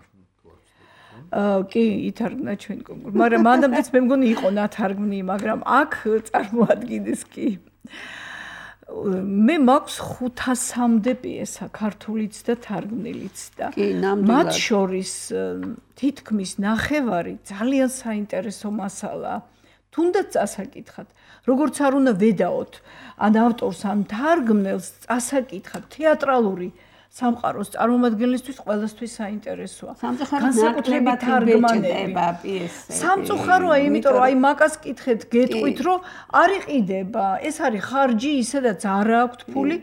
კი, ითარგმნა ჩვენი კონკურსი. მაგრამ მანამდეც მე მგონი იყო ნათარგმნი, მაგრამ აქ წარმოადგინეს კი. მე მაქვს 500-მდე პიესა, ქართულიც და თარგმნილიც და მათ შორის თითქმის ნახევარი ძალიან საინტერესო მასალაა. თუნდაც წასაკითხად, როგორც არ უნდა ვედაოთ, ან ავტორს, ან თარგმნელს წასაკითხად თეატრალური სამყაროს წარმომადგენლისთვის ყველასთვის საინტერესოა. განსაკუთრებით თარგმანება პიესები. სამწუხაროა, იმიტომ რომ აი მაგას კითხეთ, გეტყვით, რომ არ იყიდება. ეს არის ხარჯი, ისედაც არ აქვს ფული,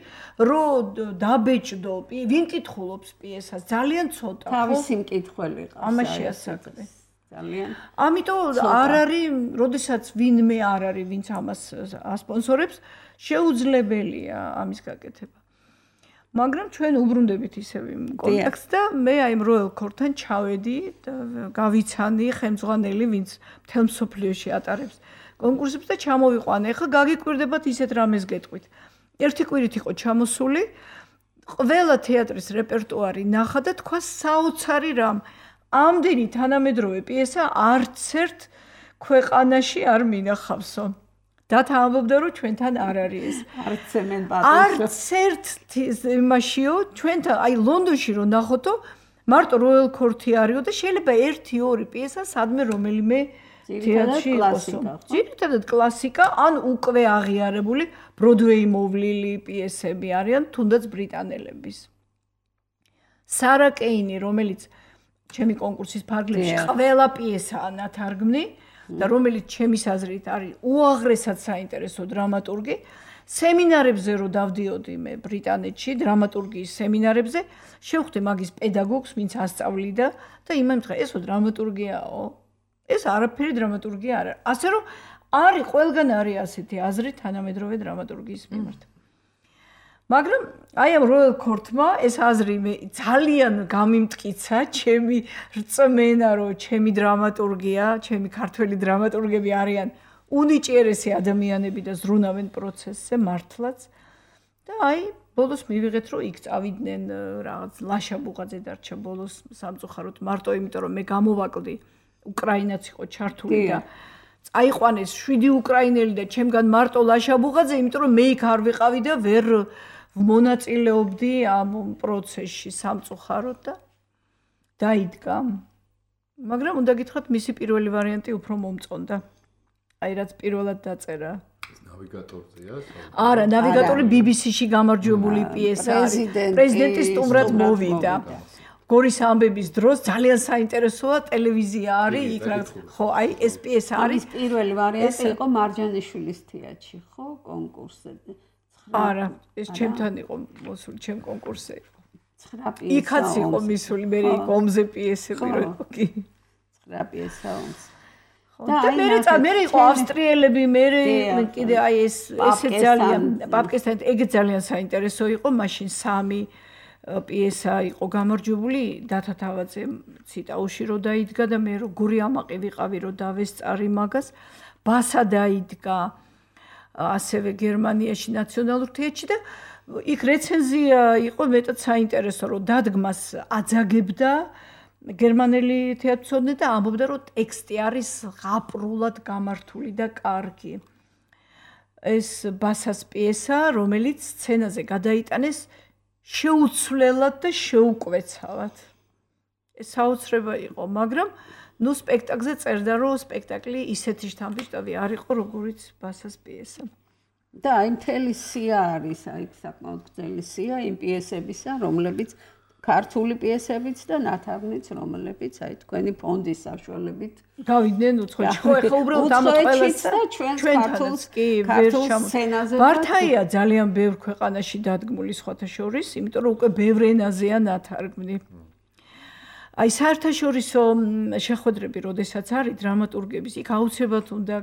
რომ დაბეჭდო. ვინ კითხულობს პიესას? ძალიან ცოტა, ხო? თავისი მკითხველი ყავს. ამაში ასაკრე. ძალიან. ამიტომ არ არის, როდესაც ვინმე არ არის, ვინც ამას ასპონსორებს, შეუძლებელია ამის გაკეთება. მაგრამ ჩვენ უბრუნდებით ისევ იმ კონტექსტს და მე აი იმ Royal Court-თან ჩავედი და გავიცანი ხელმძღვანელი, ვინც მთელ მსოფლიოში ატარებს კონკურსებს და ჩამოვიყვანე. ეხლა გაგიკვირდებათ ისეთ რამეს გეტყვით. ერთი კვირით იყო ჩამოსული, ყველა თეატრის რეპერტუარი ნახა და თქვა საოცარი რამ. ამდენი თანამედროვე პიესა არც ერთ ქვეყანაში არ მინახავსო. დათა ამბობდა რომ ჩვენთან არ არის ეს. არც მენ პატეშო. არც ერთ იმაშიო ჩვენთან აი ლონდონში რო ნახოთო მარტო Royal Court-ი არისო და შეიძლება 1-2 პიესა სადმე რომელიმე თეატრში იყოსო. ძირითადად კლასიკა ან უკვე აღიარებული ბროდვეი მოვლილი პიესები არიან თუნდაც ბრიტანელების. Sara Keini რომელიც ჩემი კონკურსის ფარგლებში ყველა პიესაა ნათარგმნი და რომელიც ჩემის აზრით არის უაღრესად საინტერესო დრამატურგი. სემინარებზე რო დავდიოდი მე ბრიტანეთში დრამატურგიის სემინარებზე, შევხვდი მაგის პედაგოგს, ვინც ასწავლიდა და იმან თქვა, ესო დრამატურგიაო. ეს არაფერი დრამატურგია არ არის. ასე რომ არის ყველგან არის ასეთი აზრი თანამედროვე დრამატურგიის მიმართ. მაგრამ აი ამ Royal Court-მა ეს აზრი მე ძალიან გამიმტკიცა, ჩემი რწმენა რომ ჩემი დრამატურგია, ჩემი ქართველი დრამატურგები არიან უნიჭიერესი ადამიანები და ზრუნავენ პროცესზე მართლაც. და აი ბოლოს მივიღეთ რომ იქ წავიდნენ რაღაც ლაშა ბუღაძე დარჩა ბოლოს სამწუხაროდ მარტო იმიტომ რომ მე გამოვაკლდი უკრაინაც იყო ჩართული და წაიყვანეს 7 უკრაინელი და ჩემგან მარტო ლაშა ბუღაძე, იმიტომ რომ მე იქ არ ვიყავი და ვერ მონაწილეობდი ამ პროცესში სამწუხაროდ და დაიდგა. მაგრამ უნდა გითხრათ მისი პირველი ვარიანტი უფრო მომწონდა. აი რაც პირველად დაწერა. ნავიგატორზეა? არა, ნავიგატორი BBC-ში გამარჯვებული პიესა არის. პრეზიდენტი სტუმრად მოვიდა. გორის ამბების დროს ძალიან საინტერესოა ტელევიზია არის იქ რა. ხო, აი ეს პიესა არის პირველი ვარიანტი იყო მარჯანიშვილის თეატრში, ხო, კონკურსზე. არა, ეს ჩემთან იყო მოსული, ჩემ კონკურსზე იყო. 9 პიესა. იქაც იყო მისული, მე იქ ომზე პიესები რო იყო კი. 9 პიესა ომზე. და მე იყო ავსტრიელები, მე კიდე აი ესე ძალიან პაპკესთან ეგ ძალიან საინტერესო იყო, მაშინ 3 პიესა იყო გამარჯვებული დათა თავაძე ციტაუში რო დაიდგა და მე რო გური ამაყი ვიყავი რო დავესწარი მაგას, ბასა დაიდგა ასევე გერმანიაში ნაციონალურ თეატრში და იქ რეცენზია იყო მეტად საინტერესო რომ დადგმას აძაგებდა გერმანელი თეატრმცოდნე და ამბობდა რომ ტექსტი არის ღაპრულად გამართული და კარგი. ეს ბასას პიესა, რომელიც სცენაზე გადაიტანეს შეუცვლელად და შეუკვეცავად. ეს საოცრება იყო, მაგრამ ნუ სპექტაკლზე წერდა რომ სპექტაკლი ისეთი შთამბეჭდავი არ იყო როგორიც ბასას პიესა. და აი მთელი სია არის, აი საკმაოდ გრძელი სია იმ პიესებისა, რომლებიც ქართული პიესებიც და ნათარგმნიც, რომლებიც აი თქვენი ფონდის საშუალებით გავიდნენ უცხოეთში. ხო, ეხლა უბრალოდ ამ ყველას და ჩვენ ქართულს კი ვერ სცენაზე ბართაია ძალიან ბევრ ქვეყანაში დადგმული სხვათა შორის, იმიტომ რომ უკვე ბევრ ენაზეა ნათარგმნი. აი საერთაშორისო შეხვედრები, როდესაც არის დრამატურგების, იქ აუცილებლად უნდა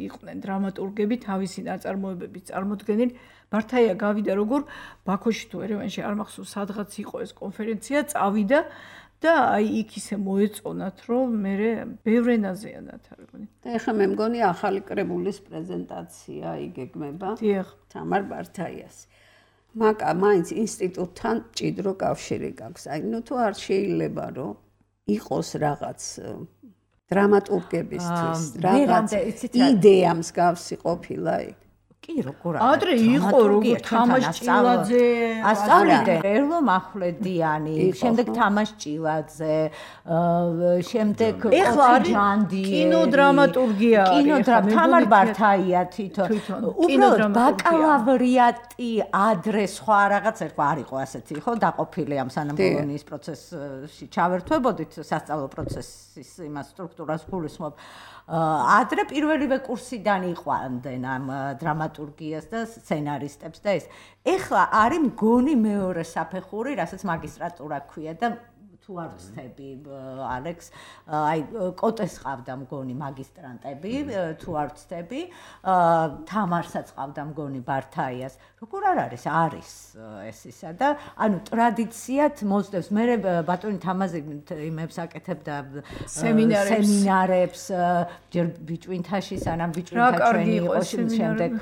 იყვნენ დრამატურგები თავისი ნაწარმოებების წარმოდგენილი. ბართაია გავიდა როგორ ბაქოში თუ ერევანში არ მახსოვს სადღაც იყო ეს კონფერენცია, წავიდა და აი იქ ისე მოეწონათ რომ მე ბევრ ენაზეა ნათარგმნი. და ეხლა მე მგონი ახალი კრებულის პრეზენტაცია იგეგმება თამარ ბართაიას. მაკა მაინც ინსტიტუტთან ჭიდრო კავშირი გაქვს. აი ნუ თუ არ შეიძლება რომ იყოს რაღაც დრამატურგებისთვის რაღაც იდეა მსგავსი ყოფილა იქ. კი, როგორ არა. ადრე იყო როგორ თამაშ ჭილაძე, ასწავლიდან ერლო მახვლედიანი, შემდეგ თამაშ ჭილაძე, შემდეგ ეხლა არის კინოდრამატურგია არის. თამარ ბართაია თვითონ. უბრალოდ ბაკალავრიატი ადრე სხვა რაღაც ერქვა არ იყო ასეთი, ხო, დაყოფილი ამ სანამ ბოლონიის პროცესში ჩავერთვებოდით სასწავლო პროცესის იმას სტრუქტურას გულისხმობ. ადრე პირველივე კურსიდან იყვანდნენ ამ დრამატურგიას და სცენარისტებს და ეს. ეხლა არის მგონი მეორე საფეხური, რასაც მაგისტრატურა ქვია და თუ არ ვცდები ალექს, აი კოტეს ყავდა მგონი მაგისტრანტები, თუ არ ვცდები, თამარსაც ყავდა მგონი ბართაიას. როგორ არ არის? არის ეს ისა და ანუ ტრადიციად მოსდევს. მე ბატონი თამაზი იმებს აკეთებდა სემინარებს, ჯერ ბიჭვინთაში, სანამ ბიჭვინთა ჩვენი იყო, შემდეგ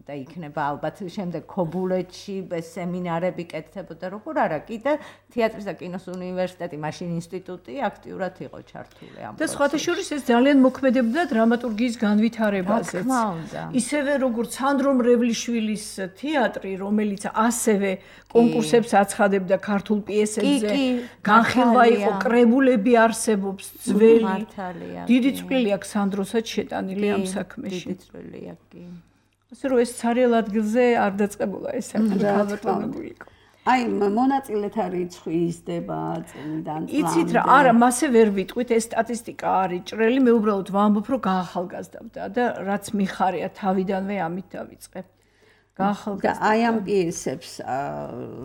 და იქნება ალბათ შემდეგ ქობულეთში სემინარები კეთდებოდა. როგორ არა, კიდე თეატრის და კინოს უნივერსიტეტი, მაშინ ინსტიტუტი აქტიურად იყო ჩართული ამ პროცესში. და სხვათა შორის ეს ძალიან მოქმედებდა დრამატურგიის განვითარებაზეც. ისევე როგორც სანდრო მრევლიშვილის თეატრი, რომელიც ასევე კონკურსებს აცხადებდა ქართულ პიესებზე, განხილვა იყო, კრებულები არსებობს, ძველი. დიდი წვლილი აქვს სანდროსაც შეტანილი ამ საქმეში. დიდი წვლილი აქვს, კი. ასე რომ ეს ცარიელ ადგილზე არ დაწყებულა ეს საქმე ქალბატონებული იყო. აი მონაწილეთა რიცხვი იზრდება წლიდან წლამდე. იცით რა, არა, მასე ვერ ვიტყვით, ეს სტატისტიკა არის ჭრელი, მე უბრალოდ ვამბობ, რომ გაახალგაზრდა და რაც მიხარია თავიდანვე ამით დავიწყებ. გაახალგაზრდა. აი ამ პიესებს,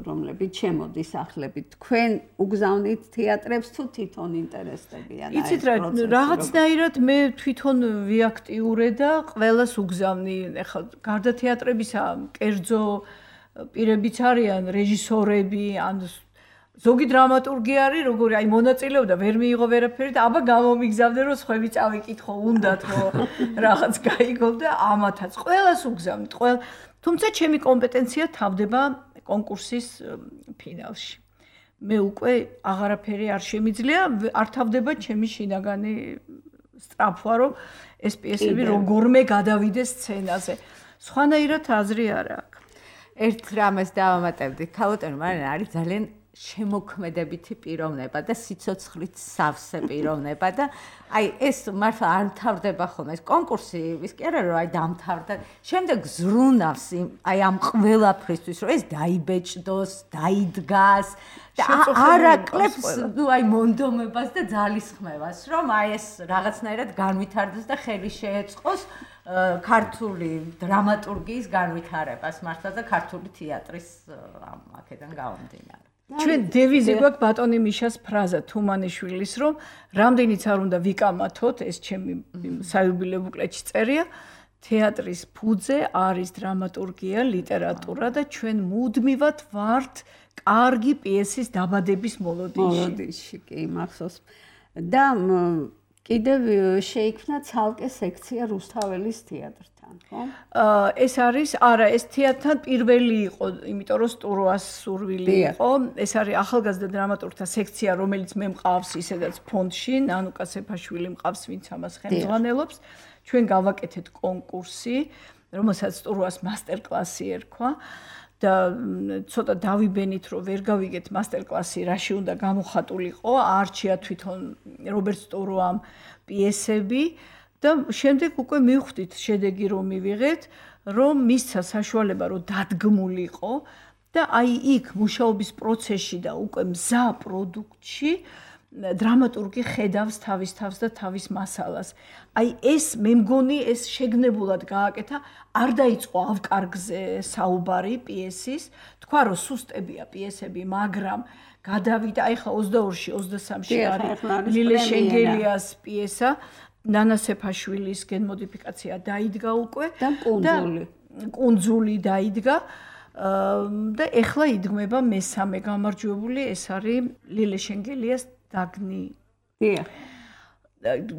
რომლებიც შემოდის ახლებით, თქვენ უგზავნით თეატრებს თუ თვითონ ინტერესდებიან? იცით რა, რაღაცნაირად მე თვითონ ვიაქტიურე და ყველას უგზავნი. ეხლა გარდა თეატრებისა, კერძო პირებიც არიან, რეჟისორები, ან ზოგი დრამატურგი არის, როგორი აი მონაწილეობდა, ვერ მიიღო ვერაფერი და აბა გამომიგზავნე, რომ სხვები წავიკითხო, უნდათ რომ რაღაც გაიგო და ამათაც ყველას უგზავნით, თუმცა ჩემი კომპეტენცია თავდება კონკურსის ფინალში. მე უკვე აღარაფერი არ შემიძლია, არ თავდება ჩემი შინაგანი სწრაფვა, რომ ეს პიესები როგორმე გადავიდეს სცენაზე. სხვანაირად აზრი არ აქვს. ერთ რამეს დავამატებდი, ქალბატონი მარინა არის ძალიან შემოქმედებითი პიროვნება და სიცოცხლით სავსე პიროვნება და აი ეს მართლა არ მთავრდება ხოლმე ეს კონკურსი ის კი არა რომ აი დამთავრდა შემდეგ ზრუნავს აი ამ ყველაფრისთვის რომ ეს დაიბეჭდოს, დაიდგას და არ აკლებს ნუ აი მონდომებას და ძალისხმევას რომ აი ეს რაღაცნაირად განვითარდეს და ხელი შეეწყოს ქართული დრამატურგიის განვითარებას მართლა და ქართული თეატრის აქედან გამომდინარე. ჩვენ დევიზი გვაქვს ბატონი მიშას ფრაზა თუმანიშვილის რომ რამდენიც არ უნდა ვიკამათოთ ეს ჩემი საიუბილეო ბუკლეტში წერია თეატრის ფუძე არის დრამატურგია, ლიტერატურა და ჩვენ მუდმივად ვართ კარგი პიესის დაბადების მოლოდინში. კი, მახსოვს. და კიდევ შეიქმნა ცალკე სექცია რუსთაველის თეატრთან, ხო? ეს არის, არა, ეს თეატრთან პირველი იყო, იმიტომ რომ სტუროას სურვილი იყო. ეს არის ახალგაზრდა დრამატურგთა სექცია, რომელიც მე მყავს ისედაც ფონდში, ნანუკა სეფაშვილი მყავს, ვინც ამას ხელმძღვანელობს. ჩვენ გავაკეთეთ კონკურსი, რომელსაც სტუროას მასტერკლასი ერქვა. და ცოტა დავიბენით რომ ვერ გავიგეთ მასტერკლასი რაში უნდა გამოხატულიყო არჩია თვითონ რობერტ სტუროამ პიესები და შემდეგ უკვე მივხვდით შედეგი რომ მივიღეთ რომ მისცა საშუალება რომ დადგმულიყო და აი იქ მუშაობის პროცესში და უკვე მზა პროდუქტში დრამატურგი ხედავს თავის თავს და თავის მასალას. აი ეს მე მგონი ეს შეგნებულად გააკეთა, არ დაიწყო ავკარგზე საუბარი პიესის, თქვა რომ სუსტებია პიესები, მაგრამ გადავიდა აი ხა 22-ში, 23-ში არის ლილე შენგელიას პიესა, ნანა სეფაშვილის გენმოდიფიკაცია დაიდგა უკვე და კუნძული დაიდგა. და ეხლა იდგმება მესამე გამარჯვებული, ეს არის ლილე შენგელიას დაგნი. დიახ.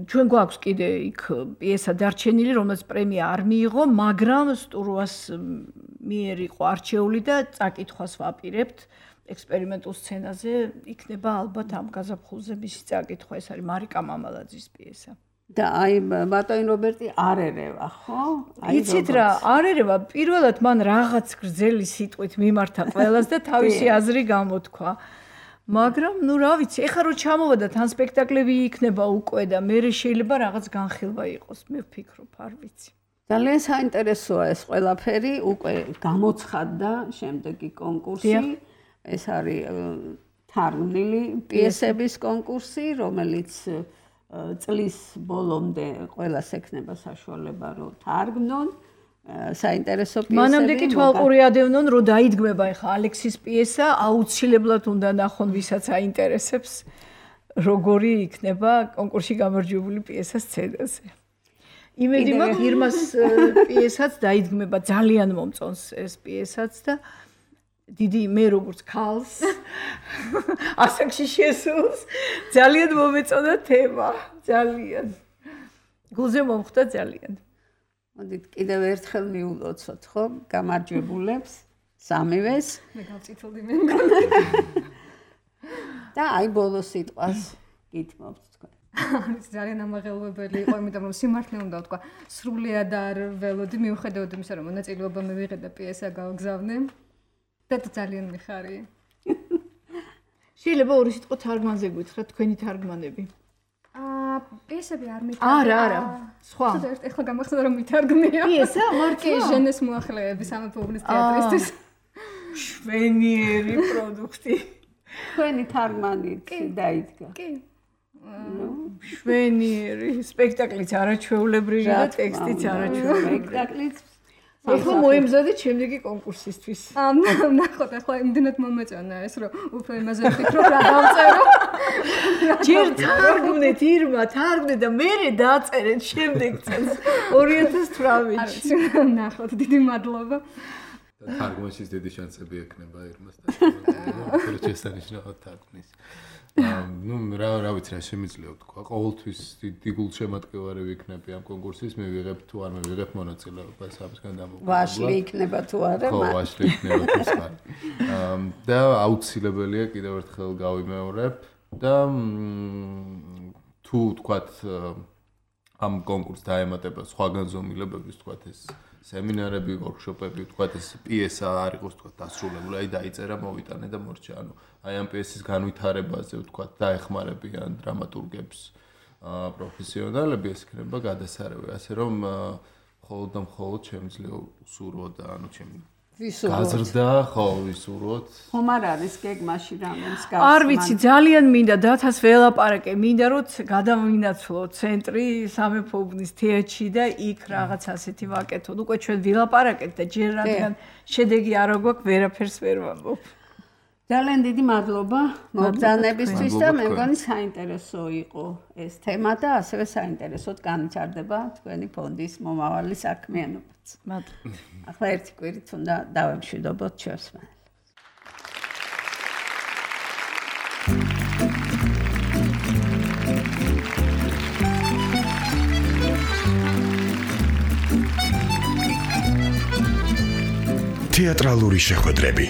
ჩვენ გვაქვს კიდე იქ პიესა დარჩენილი, რომელსაც პრემია არ მიიღო, მაგრამ სტუროას მიერ იყო არჩეული და წაკითხვას ვაპირებთ ექსპერიმენტულ სცენაზე. იქნება ალბათ ამ გაზაფხულზე მისი წაკითხვა, ეს არის მარიკა მამალაძის პიესა. და აი ბატონი რობერტი არ ერევა, ხო? იცით რა, არ ერევა, პირველად მან რაღაც გრძელი სიტყვით მიმართა ყველას და თავისი აზრი გამოთქვა. მაგრამ ნუ რა ვიცი, ეხლა რო ჩამოვადა თან სპექტაკლები იქნება უკვე და მე შეიძლება რაღაც განხილვა იყოს, მე ვფიქრობ, არ ვიცი. ძალიან საინტერესოა ეს ყველაფერი, უკვე გამოცხადდა შემდეგი კონკურსი. ეს არის თარგმნილი პიესების კონკურსი, რომელიც წლის ბოლომდე ყველას ექნება საშუალება რომ თარგმნონ საინტერესო პიესები. მანამდე კი თვალყური ადევნონ რომ დაიდგმება ეხა ალექსის პიესა, აუცილებლად უნდა ნახონ ვისაც აინტერესებს როგორი იქნება კონკურსში გამარჯვებული პიესა სცენაზე. იმედი მაქვს ირმას პიესაც დაიდგმება, ძალიან მომწონს ეს პიესაც და დიდი მე როგორც ქალს ასაკში შესულს ძალიან მომეწონა თემა, ძალიან. გულზე მომხვდა ძალიან. მოდით კიდევ ერთხელ მიულოცოთ, ხო, გამარჯვებულებს, სამივეს. მე გავწითლდი მე მგონი. და აი ბოლო სიტყვას გითმობთ თქვენ. ეს ძალიან ამაღელვებელი იყო, იმიტომ რომ სიმართლე უნდა ვთქვა, სრულიად არ ველოდი მიუხედავად იმისა, რომ მონაწილეობა მე ვიღე და პიესა გავგზავნე. და ძალიან მიხარი. შეიძლება ორი სიტყვა თარგმანზე გითხრათ, თქვენი თარგმანები. პიესები არ მითარგმნია. არა, სხვა. ეხლა გამახსოვდა რომ მითარგმნია. პიესა მარტო ჟენეს მოახლეები სამეფო უბნის თეატრისთვის. შვენიერი პროდუქტი. თქვენი თარგმანით დაიდგა. კი. შვენიერი სპექტაკლიც არაჩვეულებრივი და ტექსტიც არაჩვეულებრივი. სპექტაკლიც ეხლა მოემზადეთ შემდეგი კონკურსისთვის. ნახოთ, ახლა იმდენად მომეწონა ეს, რომ უფრო იმაზე ვფიქრობ, რა დავწერო. ჯერ თარგმნეთ ირმა, თარგმნე და მერე დაწერეთ შემდეგ წელს 2018-ში. არ ვიცი, ნახოთ, დიდი მადლობა. თარგმანში დიდი შანსები ექნება ირმას და შესანიშნავად თარგმნის. ნუ რა ვიცი რა შემიძლია ვთქვა. ყოველთვის დიდი გულშემატკივარი ვიქნები ამ კონკურსის, მე ვიღებ თუ არ მივიღებ მონაწილეობას, ამისგან დამოუკიდებლად. ვაშლი იქნება თუ არა, ხო, ვაშლი იქნება თუ სხვა. და აუცილებელია კიდევ ერთხელ გავიმეორებ და თუ ვთქვათ ამ კონკურსს დაემატება სხვა განზომილებების, ვთქვათ ეს სემინარები, ვორქშოპები, ვთქვათ ეს პიესა არ იყოს ვთქვათ დასრულებული, აი დაიწერა, მოვიტანე და მორჩა. ანუ აი ამ პიესის განვითარებაზე ვთქვათ დაეხმარებიან დრამატურგებს პროფესიონალები, ეს იქნება გადასარევი, ასე რომ მხოლოდ და მხოლოდ შემიძლია უსურვო და ანუ ჩემი გაზრდა, ხო, ვისურვოთ. ხომ არ არის გეგმაში რამეს გასვლა? არ ვიცი, ძალიან მინდა დათას ველაპარაკე, მინდა რომ გადავინაცვლო ცენტრი სამეფო უბნის თეატრში და იქ რაღაც ასეთი ვაკეთოთ. უკვე ჩვენ ვილაპარაკეთ და ჯერ რადგან შედეგი არ გვაქვს, ვერაფერს ვერ ვამბობ. ძალიან დიდი მადლობა მოგზაურობისთვის და მე მგონი საინტერესო იყო ეს თემა და ასევე საინტერესოდ განვითარდება თქვენი ფონდის მომავალი საქმიანობაც. მადლობა. ახლა ერთი კვირით უნდა დავემშვიდობოთ ჩვენს მანელს. თეატრალური შეხვედრები